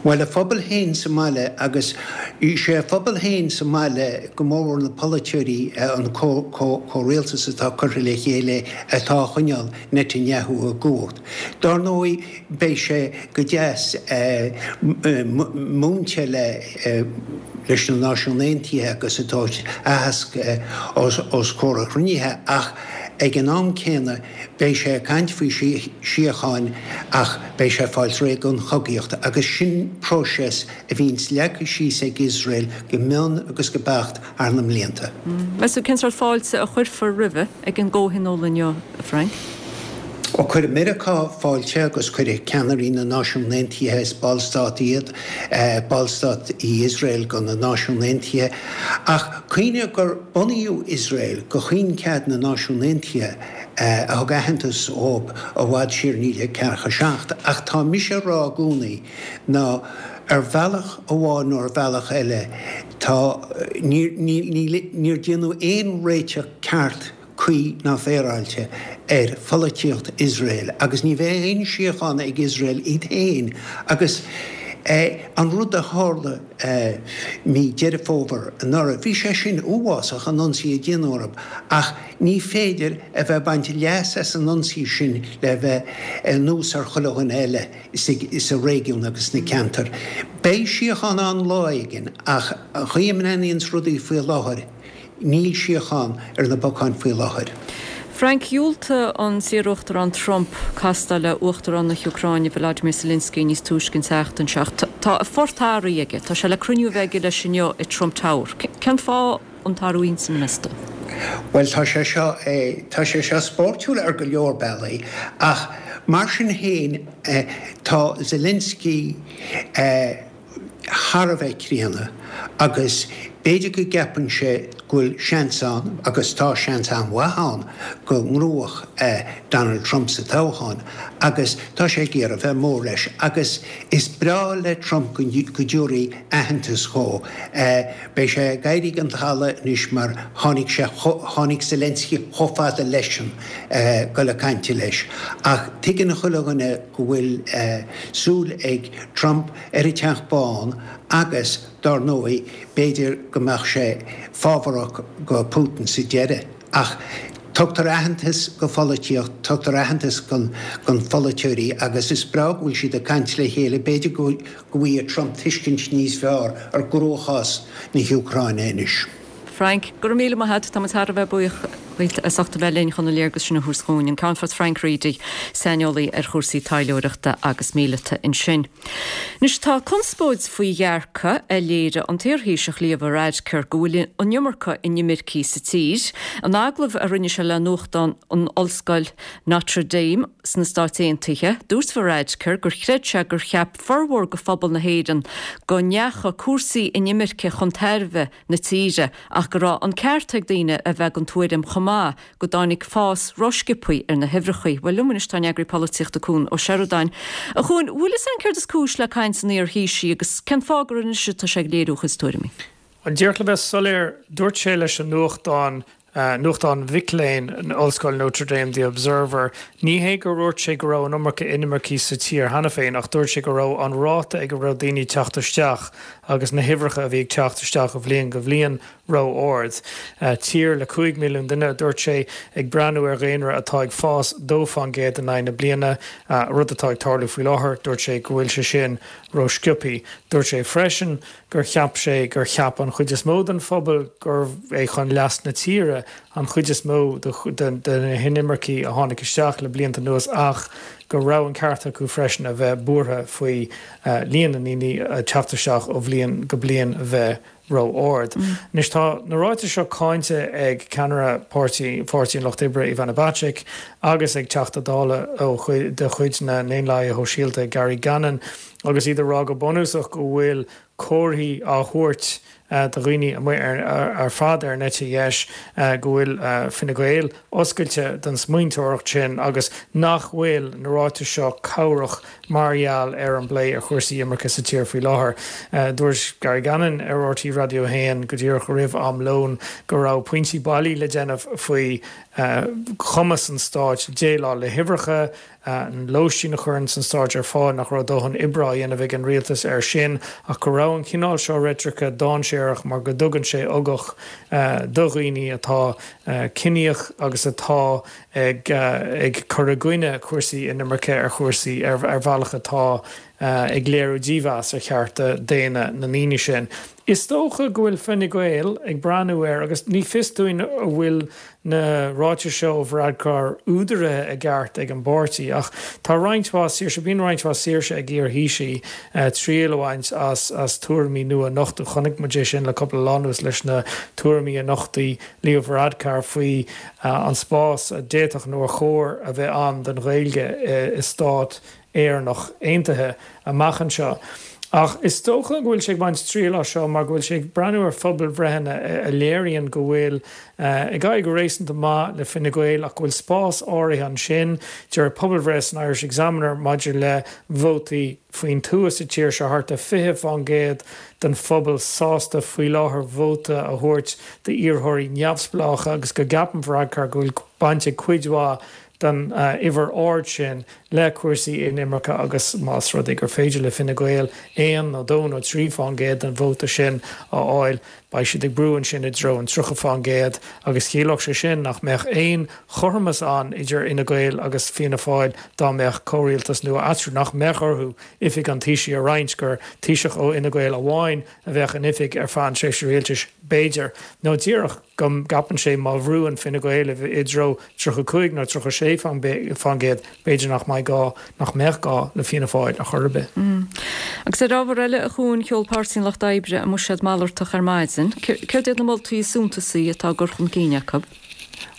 Bhuel, a phobal féin sa mbaile agus sé a phobal féin sa mbaile, go mórmhór na polaiteoirí, an comhrialtas atá curtha le chéile atá a choinneáil Netanyahu i gcumhacht. Dár ndóigh, beidh sé go deas múinte leis na Náisiúin Aontaithe agus ag tabhairt aitheasc os comhair an chruinnithe ach ag an am céanna beidh sé ag caint faoi síocháin ach beidh sé ag fáil réidh don chogaíocht agus sin próiseas a bhíonns leagtha síos ag Iosrael go mion agus go beacht thar na mblianta. Meas tú cén sórt fáilte a chuirfear roimhe ag an gcomhthionól inniu, a Frank? Ó cuirfidh Meiriceá fáilte agus cuirfidh ceannairí na Náisiún Aontaithe, is ballstát iad, ballstát í Iosrael go na Náisiún Aontaithe, ach cuimhnigh gur bunaíodh Iosrael go choincheap na Náisiún Aontaithe a thug aitheantas dhóibh i bhfad siar naoi déag ceathracha a seacht. Ach tá mise a rá i gcónaí ná ar bhealach amháin nó ar bhealach eile tá, níor, níor déanadh aon réiteach ceart, cuí ná féaráilte ar pholaitíocht Iosrael agus ní bheidh aon síocháin ag Iosrael iad féin agus an rud a tharla mí Deireadh Fómhair anuraidh, bhí sé sin uafásach an ionsaí a déanadh orthu ach ní féidir a bheith ag baint leas as an ionsaí sin le bheith anuas ar chuile dhuine eile sa réigiún agus sna ceantair. Beidh síocháin ann lá éigin ach an chaoi a mbreathnaíonns rudaí faoi láthair, Níl síocháin ar na bacáin faoi láthair. Frank, Dhiúltaigh an t-iarUachtarán Trump castáil le Uachtarán na hÚcráine Volodymyr Zelensky níos túisce an tseachtain seo. Tá a phort athraithe aige. Tá sé le cruinniú a bheith aige leis inniu i Trump Tower. Cén fáth an t-athrú intinne, meas tú? Bhuel, tá sé seo, tá sé seo spóirtiúil ar go leor bealaí ach mar sin féin tá Zelensky, thar a bheith críonna agus b'fhéidir go gceapann sé go bhfuil seans ann, agus tá seans an-mhaith ann, go ngnóthódh Donald Trump sa toghchán agus tá sé ag iarraidh bheith mór leis agus is breá le Trump go dtabharfaí aitheantas dhó. Beidh sé ag éirí den talamh anois mar tháinig sé, tháinig Zelensky chomh fada leisean dul ag caint leis ach tuigeann chuile dhuine go bhfuil súil ag Trump ar an Teach Bán agus, dár ndóigh, b'fhéidir go mbeadh sé fábharach go Putin sa deireadh. Ach tugtar aitheantas go pholaitíocht, tugtar aitheantas gon pholaiteoirí agus is breá go bhfuil siad ag caint le chéile. B'fhéidir go bhfaighidh Trump tuiscint níos fearr ar gcruachás na hÚcráine anois. Frank, Go raibh míle maith agat, tá muid thar a bheith buíoch dhuit as ucht a bheith linn chun an léargas sin a thabhairt dhúinn. An Ceannfort Frank Reidy, saineolaí ar chúrsaí taidhleoireachta agus míleata ansin. Anois tá conspóid faoi dhearcadh a léirigh an t-iarThaoiseach Leo Varadkar go bhfuil an iomarca inimircigh sa tír. In agallamh a rinne sé le nuachtán an Ollscoil Notre Dame sna Stáit Aontaithe, dúirt Varadkar gur chreid sé gur cheap formhór de phobal na hÉireann go ndeachaigh cúrsaí inimirce chun tairbhe na tíre ach go raibh an ceart ag daoine a bheith den tuairim chomh maith go dtáinig fás rósciobtha ar na huimhreacha. Bhuel, liom anois tá an eagraí polaitíochta Cuan Ó Seireadáin. A Chuain, bhfuil fhios a'inn céard is cúis le caint an iar-Thaoisigh agus cén fáth gur anois atá sé ag léiriú a chuid tuairimí? Bhuel, díreach le bheith soiléir, dúirt sé leis an nuachtán nuachtán mhic léinn Ollscoil Notre Dame, The Observer. Ní hé gur dhúirt sé go raibh an iomarca inimircigh sa tír cheana féin ach dúirt sé go raibh an ráta ag a raibh daoine ag teacht isteach agus na huimhreacha a bhí ag teacht isteach ó bhliain go bhliain ró-ard. Tír le cúig milliún duine, a dúirt sé, ag breathnú ar dhaonra atá ag fás dó fán gcéad in aghaidh na bliana, rud atá ag tarlú faoi láthair, dúirt sé go bhfuil sé sin ró-sciobtha. Dúirt sé freisin gur cheap sé gur cheap an chuid is mó den phobal gurbh é chun leas na tíre an chuid is mó de na hinimircigh a tháinig isteach le blianta anuas ach go raibh an ceart acu freisin a bheith buartha faoi líon na ndaoine ag teacht isteach ó bhliain go bliain a bheith ró-ard. Anois tá na ráitis seo cáinte ag ceannaire Páirtí Pháirtí an Lucht Oibre Ivana Bacik agus ag Teachta Dála ó de chuid na nDaonlathaithe Shóisialta Gary Gannon agus iad ag rá go bunúsach go bhfuil comharthaí á thabhairt do dhaoine amuigh ar fad ar an eite dheis go bhfuil Fine Gael oscailte don smaointeoireacht sin agus nach bhfuil na ráitis seo cabhrach mar gheall ar an bplé ar chúrsaí imirce sa tír faoi láthair. Dúirt Gary Gannon ar R T Raidió a haon go díreach roimh am lóin go raibh pointí bailí le déanamh faoi chumas an stáit déileáil le huimhreacha, an lóistín a chuireann an stát ar fáil, nach raibh dóthain oibre á dhéanamh ag an rialtas air sin ach go raibh an cineál seo reitrice dainséarach mar go dtugann sé ugach do dhaoine atá ciníoch agus atá ag ag cur i gcoinne cúrsaí inimirce ar chúrsaí ar ar bhealach atá ag léiriú dímheas ar chearta daonna na ndaoine sin. Is dócha go bhfuil Fine Gael ag breathnú air agus ní fios dúinn an bhfuil na ráitis seo ó Varadkar údaraithe i gceart ag an bpáirtí ach tá roinnt mhaith saoirse, bíonn roinnt mhaith saoirse ag iar-Thaoisigh triail a bhaint as as tuairimí nua a nochtadh. Chonaic muid é sin le cúpla lá anuas leis na tuairimí a nochtaigh Leo Varadkar faoi an spás a d'fhéadfadh nó ar chóir a bheith ann don Ghaeilge i stát Éireannach aontaithe amach anseo. Ach is dócha go bhfuil sé ag baint triail as seo mar go bhfuil sé ag breathnú ar phobalbhreitheanna a léiríonn go bhfuil ag éirí go réasúnta maith le Fine Gael ach go bhfuil spás áirithe ansin. Deir pobalbhreith san Irish Examiner maidir le vótaí faoin tuath sa tír seo thart ar fiche fán gcéad den phobal sásta faoi láthair vóta a thabhairt d'iarrthóirí neamhspleácha agus go gceapann Varadkar go bhfuil baint ag cuid mhaith den uimhir ard sin le cúrsaí inimirce agus más rud é gur féidir le Fine Gael aon nó dó nó trí fán gcéad den vóta sin a fháil, beidh siad ag brú ansin i dtreo an tríocha fán gcéad agus chiallódh sé sin nach mbeadh aon chothromas ann idir Fhine Gael agus Fianna Fáil dá mbeadh comhrialtas nua eatarthu, nach mbeadh orthu oifig an Taoisigh a roinnt, gur Taoiseach ó Fhine Gael amháin a bheadh in oifig ar feadh an tréimhse rialtais, b'fhéidir, nó díreach go gceapann sé má bhrúann Fine Gael i dtreo tríocha cúig nó tríocha sé fán gcéad, b'fhéidir nach mbeidh gá, nach mbeadh gá le Fianna Fáil ar chor ar bith. Agus ar ábhar eile, a Chuain, sheol Páirtí an Lucht Oibre a mbuiséad malartach ar maidin. Céard iad na moltaí is suntasaí atá á gcur chun cinn acu?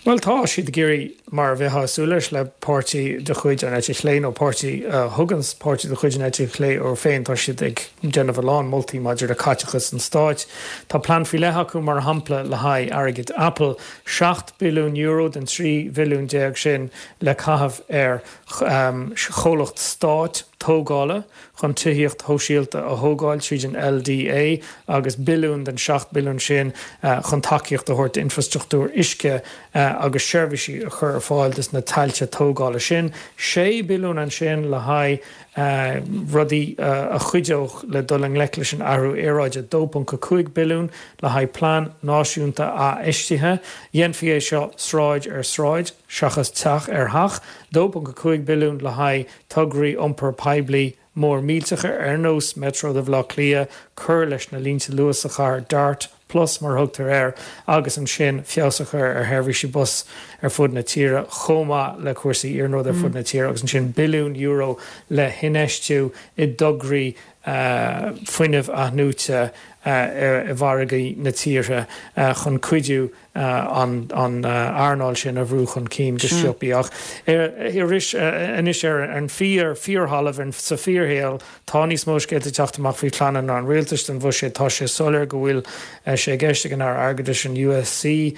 Bhuel, tá siad ag iarraidh, mar a bheifeá ag súil leis le páirtí de chuid an eite chlé nó páirtí a thugann páirtí de chuid an eite chlé orthu féin, tá siad ag déanamh a lán moltaí maidir le caiteachas an stáit. Tá plean faoi leith acu, mar shampla, le haghaidh airgead Apple, seacht billiún euro den trí bhilliún déag sin le caitheamh ar chomhlacht stáit tógála chun tithíocht shóisialta a thógáil tríd an L D A agus billiún den seacht billiún sin chun tacaíocht a thabhairt d'infrastruchtúr uisce agus seirbhísí a chur ar fáil dos na tailte tógála sin. Sé billiún ansin le haghaidh rudaí a chuideodh le dul i ngleic leis an athrú aeráide, dó ponc a cúig billiún le haghaidh plean náisiúnta athfheistithe. Dhéanfaí é seo sráid ar sráid seachas teach ar theach. dó ponc a cúig billiún le haghaidh tograí iompair poiblí mór millteacha ar nós Metro do Bhaile Átha Cliath, cur leis na línte luas sa chathair, Dart Plus mar a thugtar air, agus ansin feabhas a chur ar sheirbhísí bus ar fud na tíre chomh maith le cúrsaí iarnróid ar fud na tíre agus ansin billiún euro le hinfheistiú i dtograí fuinnimh athnuaite i bhfarraigí na tíre chun cuidiú an earnáil sin a bhrú chun cinn go sciobtha. Ach arís anois ar an fíor fíorthalamh sa fíorshaol tá níos mó scéalta ag teacht amach faoi phleananna an rialtais don bhuiséad. Tá sé soiléir go bhfuil sé i gceist ag an Aire Airgeadais an U S C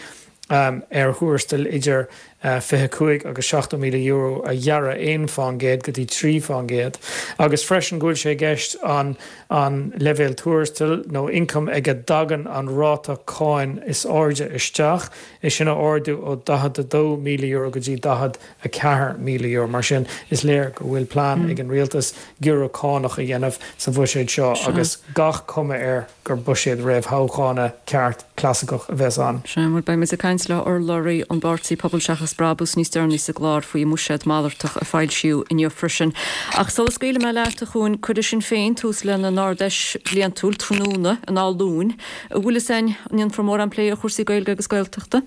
ar thuarastail idir fiche cúig agus seachtó míle euro a ghearradh aon fán gcéad go dtí trí fán gcéad agus freisin go bhfuil sé i gceist an an leibhéal tuarastail nó ioncaim ag a dtagann an ráta cáin is airde isteach, é sin a ardú ó daichead a dó míle euro go dtí daichead a ceathair míle euro. Mar sin, is léir go bhfuil plean ag an rialtas giorrú cánach a dhéanamh sa bhuiséad seo agus gach cuma air gur buiséad réamhthoghchána ceart clasaiceach a bheas ann. Sea, bhuel, beidh muid ag caint le urlabhraí an bpáirtí Pobal Seachas Brabús níos deireanaí sa gclár faoi mbuiséad malartach a foilsíodh inniu freisin. Ach sula scaoilfidh mé leat, a Chuain, cuirfidh Sinn Féin tús lena n-Ard-Fheis bhliantúil tráthnóna in Áth Luain. An bhfuil fhios a'inn an ndéanfar mórán plé ar chúrsaí Gaeilge agus Gaeltachta?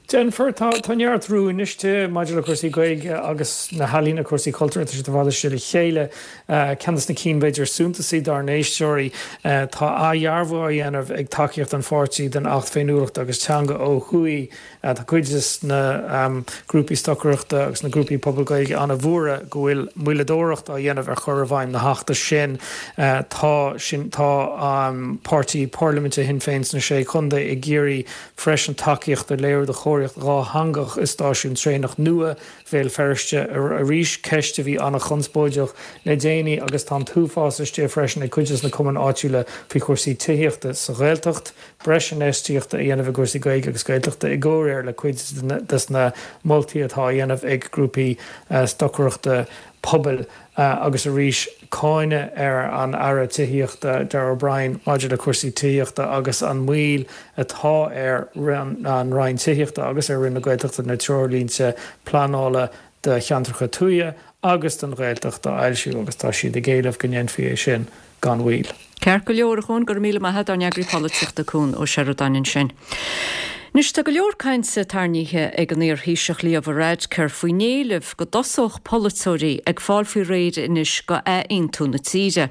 Déanfar. Tá neart rúin istigh maidir le cúrsaí Gaeilge agus na healaíona, cúrsaí cultúir, tá siad i bhfad istigh le chéile. Ceann de na cinn b'fhéidir is suntasaí dár n-éisteoirí, tá athdhearbhú á dhéanamh ag tacaíocht an pháirtí don Acht Féiniúlachta agus Teanga ó thuaidh. Tá cuid de na grúpaí stocaireachta agus na grúpaí pobail Gaeilge an-bhuartha go bhfuil moilleadóireacht á dhéanamh ar chur i bhfeidhm na hAchta sin. Tá sin, tá páirtí parlaiminte Shinn Féin sna Sé Chontae ag iarraidh freisin tacaíocht a léiriú do chóiríocht dhátheangach i stáisiún traenach nua Bhéal Feirste arís, ceist a bhí an-chonspóideach le déanaí agus tá an t-uafás istigh freisin ag cuid de na cumainn áitiúla faoi chúrsaí tithíochta sa Ghaeltacht, breis infheistíochta a dhéanamh i gcúrsaí Gaeilge agus Gaeltachta i gcomhréir le cuid de na moltaí atá á dhéanamh ag grúpaí stocaireachta pobail agus arís cáineadh ar an Aire Tithíochta Darragh O'Brien maidir le cúrsaí tithíochta agus an mhoill atá ar an Roinn Tithíochta agus ar Roinn na Gaeltachta na treoirlínte pleanála do cheantracha tuaithe agus don Ghaeltacht a fhoilsiú agus tá siad ag éileamh go ndéanfaí é sin gan mhoill. Ceart go leor, a Chuain, go raibh míle maith agat, ár n-eagraí polaitíochta Cuan Ó Seireadáin ansin. Anois tá go leor cainte tarraingthe ag an iar-Thaoiseach Leo Varadkar faoin éileamh go dtosódh polaiteoirí ag fáil faoi réir anois go athaontú na tíre.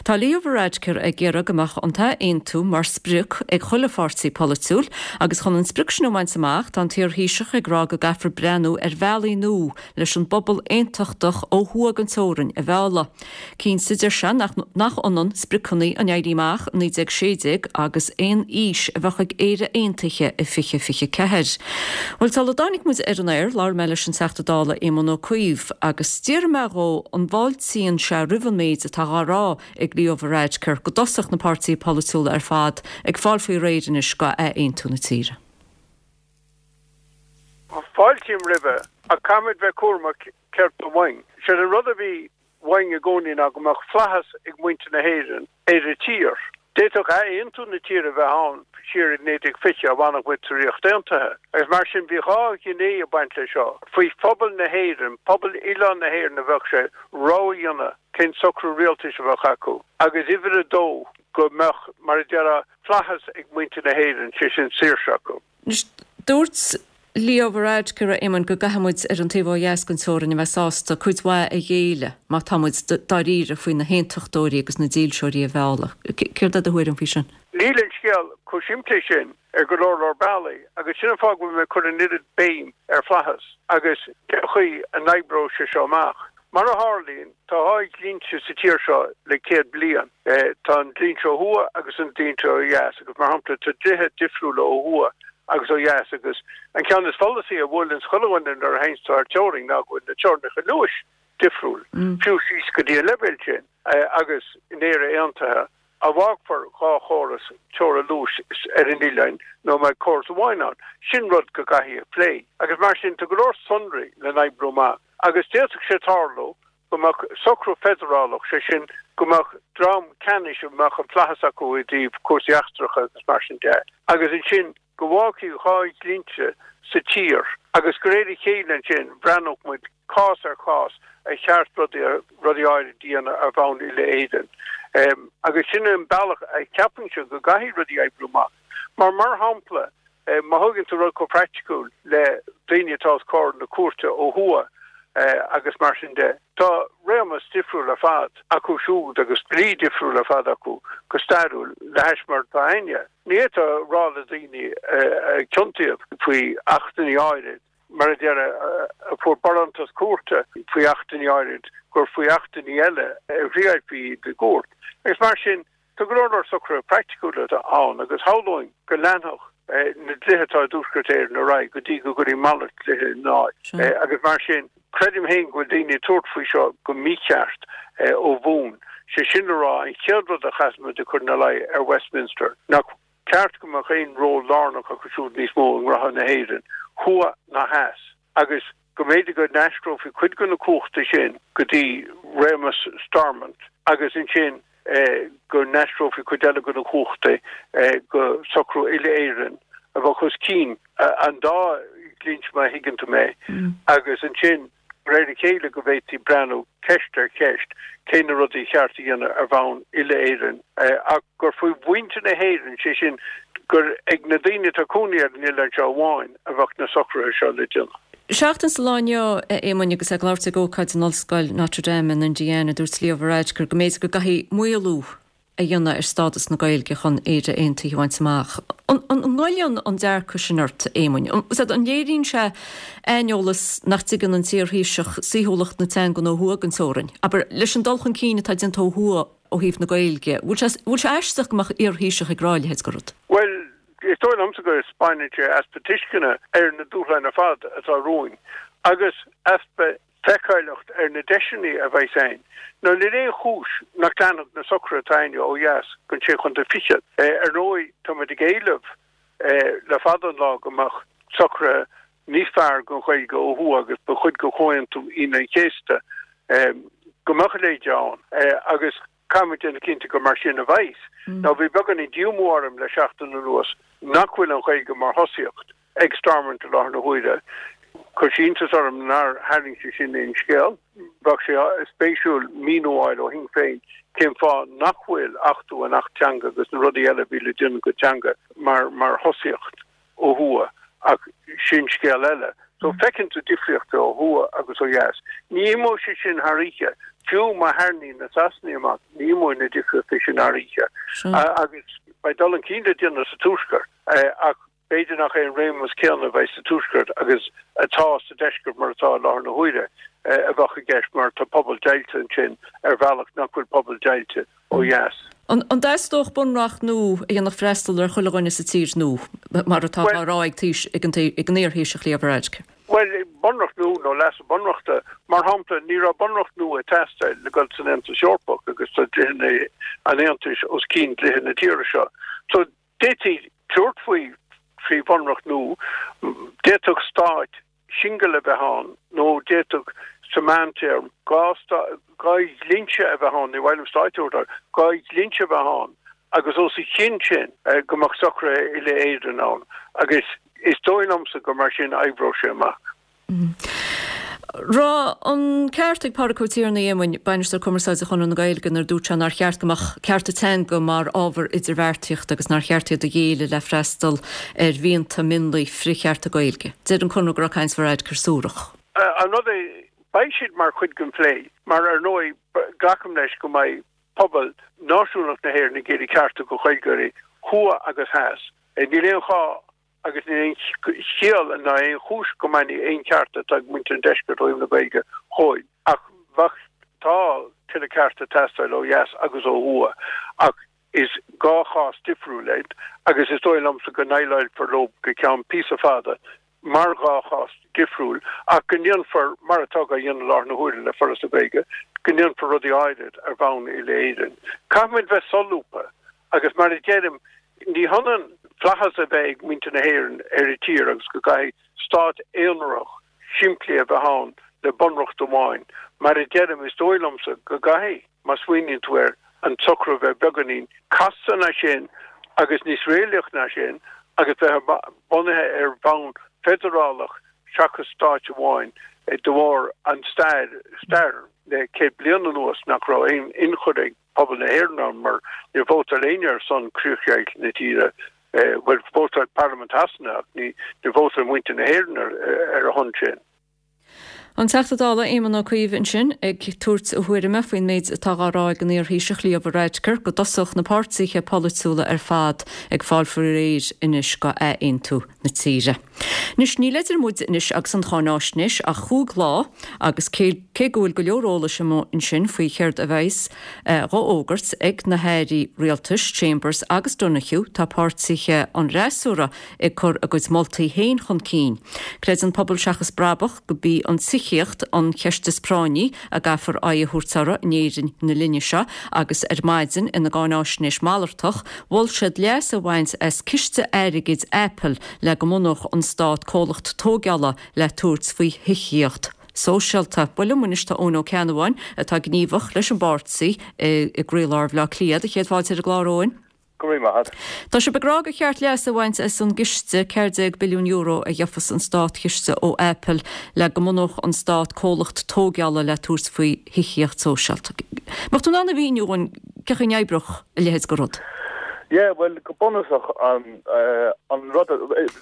Tá Leo Varadkar ag iarraidh go mbeadh an t-athaontú mar sprioc ag chuile pháirtí polaitiúil agus chun an sprioc sin a bhaint amach tá an t-iar-Thaoiseach ag rá go gcaithfear breathnú ar bhealaí nua leis an bpobal aontachtach ó thuaidh den teorainn a mhealladh. Cinnte, deir sé, nach ionann spriocanna an Éirí Amach i naoi déag sé déag agus aon fhís a bheadh ag Éire Aontaithe i fiche fiche ceathair. Bhuel, sula dtáinig muid ar an aer, labhair mé leis an Teachta Dála Éamon Ó Cuív agus d'iarr mé dhó an bhfáiltíonn sé roimh an méid atá á rá ag Leo Varadkar go dtosódh na páirtithe polaitiúla ar fad ag fáil faoi réir anois go athaontú na tíre. Fáiltím roimhe, ach caithfimid bheith cúramach céard tá uainn. Séard an rud a bhí uainn i gcónaí ná go mbeadh flaitheas ag muintir na hÉireann ar a tír. D'fhéadfadh athaontú na tíre a bheith ann siar i naoi déag fiche dá bhfanfadh muid sa Ríocht Aontaithe. Agus mar sin bhí dhá ghné ag baint leis seo. Faoi phobal na hÉireann, pobal oileán na hÉireann a bheadh sé rogha a dhéanamh cén socrú rialtais a bheadh acu. Agus uimhir a dó, go mbeadh, mar a déarfá, flaitheas ag muintir na hÉireann, sé sin saoirse acu. Anois, dúirt Leo Varadkar, a Éamoin, go gcaithfidh muid ar an taobh ó dheas den teorainn a bheith sásta cuid mhaith a ghéilleadh má tá muid dáiríre faoi na haontachtóirí agus na dílseoirí a mhealladh. Céard é do thuairim faoi sin? Níl an scéal chomh simplí sin ar go leor leor bealaí agus sin an fáth go bhfuil mé ag cur an oiread béim ar flaitheas agus cén chaoi a n-oibreoidh sé seo amach. Mar a tharlaíonn, tá dhá dhlínse sa tír seo le céad bliain. Tá an dlínse ó thuaidh agus an dlínse ó dheas agus, mar shampla, tá dlíthe difriúla ó thuaidh agus ó dheas agus an ceann is follasaí a bhuaileanns chuile dhuine nuair a théanns tú thar teorainn ná go bhfuil na teorainneacha luais difriúil, fiú síos go dtí an leibhéal sin. Agus in Éire Aontaithe, an bhfágfar dhá chóras teora luais ar an oileán nó an mbeidh córas amháin ann? Sin rud go gcaithfidh a phlé. Agus mar sin, tá go leor sonraí le n-oibriú amach. Agus d'fhéadfadh sé tarlú go mbeadh socrú feidearálach, sé sin, go mbeadh dream ceannais a mbeadh an flaitheas acu i dtaobh cúrsaí eachtracha agus mar sin de, agus ansin go bhfágfaí dhá dhlínse sa tír agus de réir a chéile ansin bhreathnódh muid cás ar chás ar cheart rudaí rudaí áirid a dhéanamh ar bhonn uile-Éireann. Agus sin an bealach a cheapaimse go gcaithfidh rudaí oibriú amach. Mar, mar shampla, má thógann tú rud chomh praiticiúil le daoine atá os comhair na cúirte ó thuaidh agus mar sin de, tá réimeas difriúil ar fad acu siúd agus dlí difriúil ar fad acu go stairiúil le hais mar atá againne. Ní fhéadfá a rá le daoine a ciontaíodh faoi achtanna áirid, mar a déarfá, a fuair barántas cúirte faoi achtanna áirid, gur faoi achtanna eile a thriailfí iad i gcúirt. Agus mar sin, Tá go leor leor socruithe praiticiúla ann agus shamhlóinn go leanfadh na dlíthe atá i dTuaisceart Éireann ar aghaidh go dtí go gcuirfí malairt dlíthe ina áit. Agus mar sin, creidim féin go bhfuil daoine ag tabhairt faoi seo go mícheart ó bhun. Sé sin le rá, an chéad rud a chaithfidh muid a chur ina luí ar Westminster, nach ceart go mbeadh aon ról lárnach acu siúd níos mó i ngnóthaí na hÉireann, thuaidh ná theas, agus go mb'fhéidir go n-aistreofaí cuid de na cumhachtaí sin go dtí réimeas Stormont agus ansin go n-aistreofaí cuid eile de na cumhachtaí go socrú uile-Éireann a bheadh os cionn an dá dhlínse má thuigeann tú mé agus ansin de réir a chéile go bhféadfaí breathnú ceist ar cheist cé na rudaí ba cheart a dhéanamh ar bhonn uile-Éireann ach gur faoi mhuintir na hÉireann, sé sin gur ag na daoine atá ag cónaí ar an oileán seo amháin a bheadh na socruithe seo le déanamh. Seachtain sa lá inniu, a Éamoinn, agus é ag labhairt ag ócáid in Ollscoil Notre Dame in Indiana, dúirt Leo Varadkar go mb'fhéidir go gcaithfí maolú a dhéanamh ar stádas na Gaeilge chun Éire Aontaithe a bhaint amach. An ngoilleann an dearcadh sin ort, a Éamoinn? An léiríonn sé aineolas nach dtuigeann an t-iarThaoiseach saoithiúlacht na teangan ó thuaidh den teorainn? Abair, leis an dul chun cinn atá déanta ó thuaidh ó thaobh na Gaeilge, bhfuil sé aisteach go mbeadh iarThaoiseach ag rá a leithéid de rud? Bhuel, is dóigh liomsa go spáineann sé easpa tuisceana ar na dúshláin ar fad atá romhainn agus easpa feiceálacht ar na deiseanna a bheas ann. Now níl aon chúis nach leanfadh na socruithe atá ann ó dheas don sé chontae fichead. Ar ndóigh, táimid ag éileamh le fada an lá go mbeadh socruithe níos fearr don Ghaeilge ó thuaidh agus ba chuid de Chomhaontú Aoine an Chéasta go mbeadh a leithéid ann agus caithfimid déanamh cinnte gur mar sin a bheas. Now bhí beagáinín díomá orm le seachtain anuas nach bhfuil an Ghaeilge mar thosaíocht ag Stormont i láthair na huaire. Chuir sé iontas orm nár tharraing sé sin aon scéal. Bheadh sé spéisiúil míniú a fháil ó Shinn Féin cén fáth nach bhfuil achtú an Acht Teanga agus na rudaí eile a bhí le déanamh go teanga mar mar thosaíocht ó thuaidh ach sin scéal eile. So feiceann tú difríochtaí ó thuaidh agus ó dheas. Ní imeoidh sé sin thar oíche. Fiú má tharraingíonn na Sasanaigh amach, ní imeoidh na difríochtaí sin thar oíche. Agus beidh dul chun cinn le déanamh sa Tuaisceart ach b'fhéidir nach é an réimeas céanna a bheidh sa Tuaisceart agus atá sa Deisceart mar atá i láthair na huaire a bheadh i gceist mar tá pobal deighilte ansin ar bhealach nach bhfuil pobal deighilte ó dheas. An dteastódh bunreacht nua a dhéanfadh freastal ar chuile dhuine sa tír nua, mar atá á rá ag an iarThaoiseach Leo Varadkar? Bhuel, bunreacht nua nó leasú bunreachta, mar shampla, ní raibh bunreacht nua ag teastáil le dul san Aontas Eorpach agus tá dlíthe an Aontais os cionn dlíthe na tíre seo. So, d'fhéadfaí tabhairt faoi faoi bhunreacht nua, d'fhéadfadh stát singil a bheith ann nó d'fhéadfadh sa mheántéarma dhá dhá dhlínse a bheith ann, ní mhaith liom stáit a thabhairt air, dhá dhlínse a bheith ann agus os a chionn sin go mbeadh socruithe uile-Éireann ann agus is dóigh liomsa gur mar sin a oibreodh sé amach. Raibh an ceart ag Pádraig Ó Tiarnaigh, a Éamoinn, Bainisteoir Cumarsáide Chonradh na Gaeilge, nuair a dúirt sé nár cheart go mbeadh cearta teanga mar ábhar idirbheartaíochta agus nár cheart iad a ghéilleadh le freastal ar mhianta mionlaigh frith-chearta Gaeilge. Deir an Conradh go raibh caint Varadkar suarach. An rud é, beidh siad mar chuid den phlé, mar ar ndóigh glacaim leis go mbeidh pobal náisiúnach na hÉireann ag iarraidh cearta do Ghaeilgeoirí thuaidh agus theas. Níl aon fháth agus níl aon chiall ná aon chúis go mbainfí aon chearta atá ag muintir an deiscirt ó thaobh na Gaeilge dhóibh. Ach bheadh, tá tuilleadh cearta ag teastáil ó dheas agus ó thuaidh ach is dhá chás difriúil iad agus is dóigh liomsa go ndéileálfar leo go ceann píosa fada mar dhá chás difriúil ach go ndéanfar, mar atá á dhéanamh i láthair na huaire le Foras na Gaeilge, go ndéanfar rudaí áirid ar bhonn uile-Éireann. Caithfimid bheith solúbtha Agus mar a deirim, ní hionann flaitheas a bheith ag muintir na hÉireann ar a dtír agus go gcaithfidh stát aonarach simplí a bheith ann le bunreacht amháin. Mar a deirim, is dóigh liomsa go gcaithfidh, má smaoiníonn tú air, an socrú a bheith beagáinín casta ná sin agus níos réalaíoch ná sin agus bheith bunaithe ar bhonn feidearálach seachas stáit amháin de bharr an stair, stair le céad bliain anuas nach raibh aon ionchur ag pobal na hÉireann ann mar níor vótáil éinne ar son críochdheighilt na tíre, bhuel, vótáil Parlaimint Shasana ach ní, níor vótáil muintir na hÉireann ar, ar a shon sin. An Teachta Dála Éamon Ó Cuív ansin ag tabhairt a thuairime faoin méid atá á rá ag an iarThaoiseach Leo Varadkar go dtosódh na páirtithe polaitiúla ar fad ag fáil faoi réir anois go athaontú na tíre. Anois níl idir muid anois agus an cháináisnéis ach chúig lá agus cé cé go bhfuil go leor eolais amuigh ansin faoi chéard a bheas dhá fhógairt ag na hairí rialtais Chambers agus Donohoe tá páirtithe an fhreasúra ag cur a gcuid moltaí féin chun cinn. Creideann Pobal Seachas Brabach gurb í an tithíocht an cheist is práinní a gcaithfear aghaidh a thabhairt uirthi in Éirinn na linne seo agus ar maidin ina gcáináisnéis malartach, mhol siad leas a bhaint as ciste airgid Apple le go mbunódh an stát comhlacht tógála le tabhairt faoi thithíocht sóisialta. Bhuel liom anois tá Eoin Ó Ceannabháin atá gníomhach leis an bpáirtí i gcroílár Bhaile Átha Cliath. Do chéad fáilte ar an gclár Eoin. Go raibh maith agat. Tá sibh ag rá gur cheart leas a bhaint as an gciste ceathair déag billiún euro a gheofas an státchiste ó Apple le go mbunódh an stát comhlacht tógála le tabhairt faoi thithíocht sóisialta. Mbeadh tú in ann a mhíniú dúinn cén chaoi a n-oibreodh a leithéid de rud? Yeah, well go bunúsach an an rud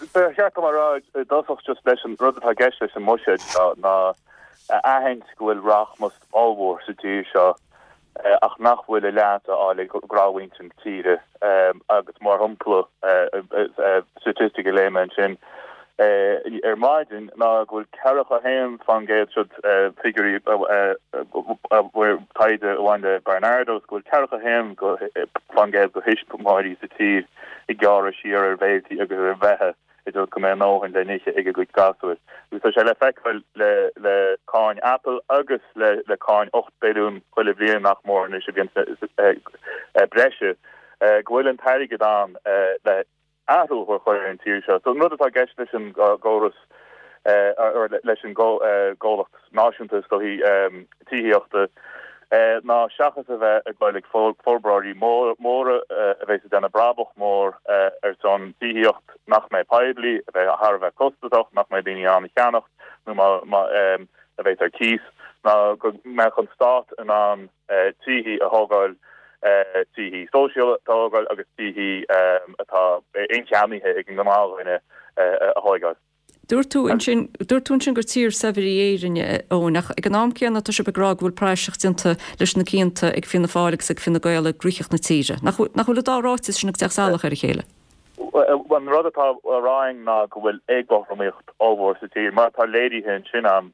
ba cheart dom a rá i dtosach just leis an rud atá i gceist leis an mbuiséad seo ná a aithint go bhfuil rachmas ollmhór sa tír seo ach nach bhfuil a leath á fháil ag gnáthmhuintir na tíre agus mar shampla statistic a léigh mé ansin ar maidin ná go bhfuil ceathracha a haon faoin gcéad siod figiúirí taighde a bhain le Barnardos go bhfuil ceathracha a haon faoin gcéad de thuismitheoirí sa tír ag gearradh siar ar bhéilí agus ar bheatha i dtreo go mbeidh a ndóthain le n-ithe ag a gcuid gasúir. Agus tá sé le feiceáil le le cáin Apple agus le le cáin ocht billiún chuile bhliain nach mór anois a bhíonn breise go bhfuil an t-airgead ann le athrú a chur ar an tír seo. So an rud atá i gceist leis an gcóras leis an gcomhlacht náisiúnta is dóichí tithíochta ná seachas a bheith ag dul ag forbróirí móra a bheas ag déanamh brabach mór ar son tithíocht nach mbeidh poiblí, a bheidh thar a bheith costasach, nach mbeidh daoine in ann a cheannacht nó a bheidh ar cíos, ná go mbeadh an stát in ann tithí a thógáil, tithí sóisialta a thógáil agus tithí atá incheannaithe ag an ngnáthdhuine a thógáil. Dúirt tú ansin, dúirt tú ansin gur tír saibhir í Éirinn, Eoin, ach ag an am céanna tá sibh ag rá go bhfuil praiseach déanta leis na cianta ag Fianna Fáil agus ag Fine Gael i gcruthaitheacht na tíre. Nach nach bhfuil an dá ráiteas sin ag teacht salach ar a chéile? An rud atá á rá againn ná go bhfuil éagothromaíocht ollmhór sa tír, mar atá léirithe ansin a'm,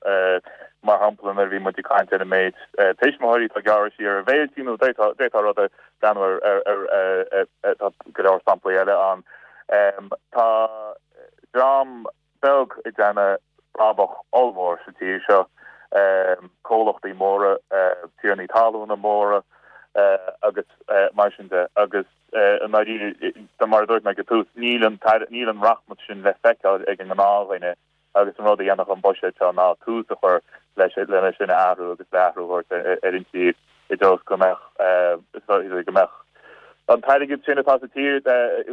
mar shampla nuair a bhí muid ag caint ar an méid tuismitheoirí atá ag gearradh siar ar bhéilí nó d'fhéadfá rud a bhreathnú ar ar ar tá go leor samplaí eile ann. Tá dream beag ag déanamh brabach ollmhór sa tír seo, comhlachtaí móra, tiarnaí talúna móra agus mar sin de agus i ndáiríre, mar a dúirt mé ag an tús, níl an níl an rachmas sin le feiceáil ag an ngnáthdhuine agus an rud a dhéanfadh an buiséad seo ná tús a chur leis lena sin a athrú agus le athrú a thabhairt ar an tír i dtreo go mbeadh go mbeadh an t-airgead sin atá sa tír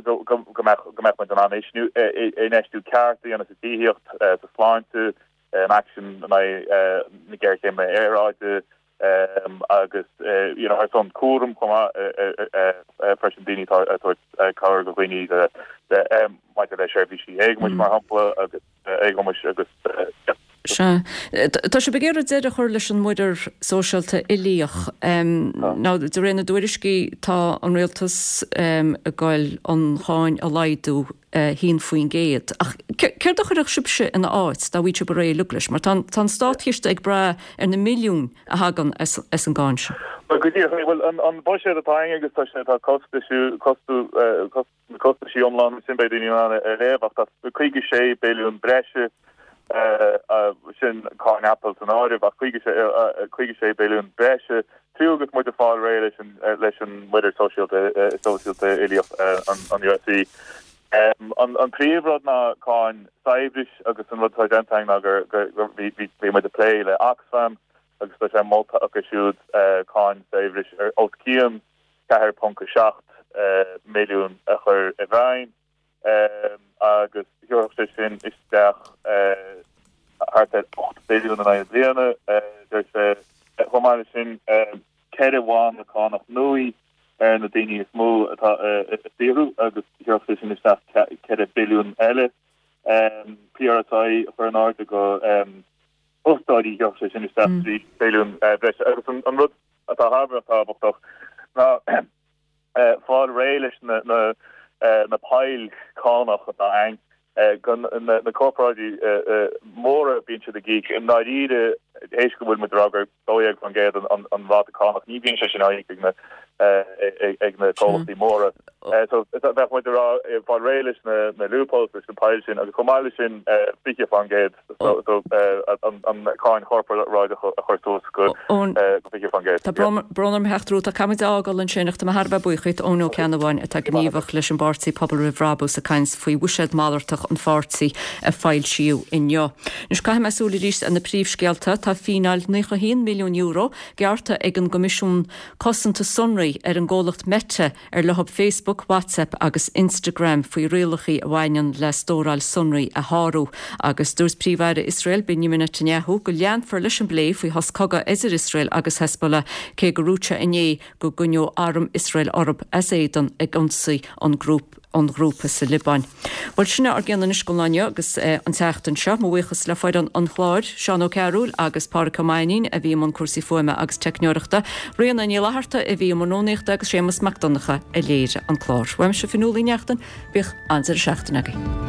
go mbeadh go mbeadh muid in ann infheistiú ceart a dhéanamh sa tithíocht, sa sláinte, in aicsean in aghaidh na géarchéime aeráide agus you know ar son cúram chomh maith freisin daoine atá ag tabhairt cabhair do dhaoine maidir le seirbhísí éagumais mar shampla agus éagumais agus Sea. Tá sibh ag iarraidh deireadh a chur leis an muirear sóisialta uilíoch. Nó de réir na dtuairiscí tá an rialtas ag goil an cháin a laghdú haon faoin gcéad. Ach céard a chuirfeadh sibhse ina áit dá bhfaigheadh sibh ar aghaidh uilig leis? Mar tá an státchiste ag brath ar na milliúin a thagann as an gcáin seo. Bhuel go díreach, bhuel an buiséad atá againn agus tá sé tá costais costú na costaisí iomlána sin beidh daoine in ann a léamh ach tá caoga sé billiún breise sin cáin Apple san áireamh ach caoga sé billiún breise fiú agus muid ag fáil réidh leis an leis an muirear sóisialta sóisialta uilíoch an USC. An príomhrud ná cáin saibhris agus an rud atá déanta againn ná gur gur bhí bhí muid ag plé le Oxfam agus tá sé molta acu siúd cáin saibhris ar os cionn ceathair ponc a seacht milliún a chur i bhfeidhm agus thiúrfadh sé sin isteach thart ar ocht billiún in aghaidh na bliana, deir sé. Chomh maith leis sin, ceithre bhanna cánach nua ar na daoine is mó atá ag saothrú agus thiúrfadh sé sin isteach ceithre billiún eile. PRSI a chur in airde go fostóirí gheobhaidh sé sin isteach trí billiún breise agus an rud atá thar a bheith tábhachtach ná fáil réidh leis na na na poill cánach atá ann go na corparáidí móra bíonn siad ag íoc i ndáiríre théis go bhfuil muid ag rá gur dó dhéag faoin gcéad an ráta cánach ní bhíonn sé sin á íoc ag na ag na comhlachtaí móra. So bheadh muid ag rá fáil réidh leis na na loopholes leis na poill sin agus chomh maith leis sin fiche faoin gcéad so so an cáin chorparáideach a chur suas go go fiche faoin gcéad. Tá brón orm a theacht romhat ach caithfimid a fhágáil ansin ach tá mé thar a bheith buíoch díot Eoin Ó Ceannabháin atá gníomhach leis an bpáirtí Pobal Roimh Bhrabús ag caint faoi bhuiséad malartach an pháirtí a foilsíodh inniu. Anois caithfidh mé súil arís ar na príomhscéalta. Tá fíneáil naocha haon milliún euro gearrtha ag an gCoimisiún Cosanta Sonraí ar an gcomhlacht Meta ar leo Facebook, WhatsApp agus Instagram faoi rialacha a bhaineann le stóráil sonraí a shárú. Agus dúirt Príomh-Aire Iosrael Benjamin Netanyahu go leanfar leis an bplé faoi shos cogaidh idir Iosrael agus Hezbollah cé gur dhúirt sé inné go gcoinneodh arm Iosrael orthu as éadan ag ionsaí an grúp an ghrúpa sa Liobáin. Bhuel sin ár gceann anois don lá inniu agus an tseachtain seo. Mo bhuíochas le foireann an chláir, Seán Ó Cearúil agus Pádraig Ó Mainnín a bhí i mbun cúrsaí fuaime agus teicneoireachta, Ríona Ní Fhlatharta a bhí i mbun rúnaíochta agus Séamus Mac Donncha a léirigh an clár. Uaimse Fionnuala Ní Neachtain, bíodh an-deireadh seachtaine agaibh.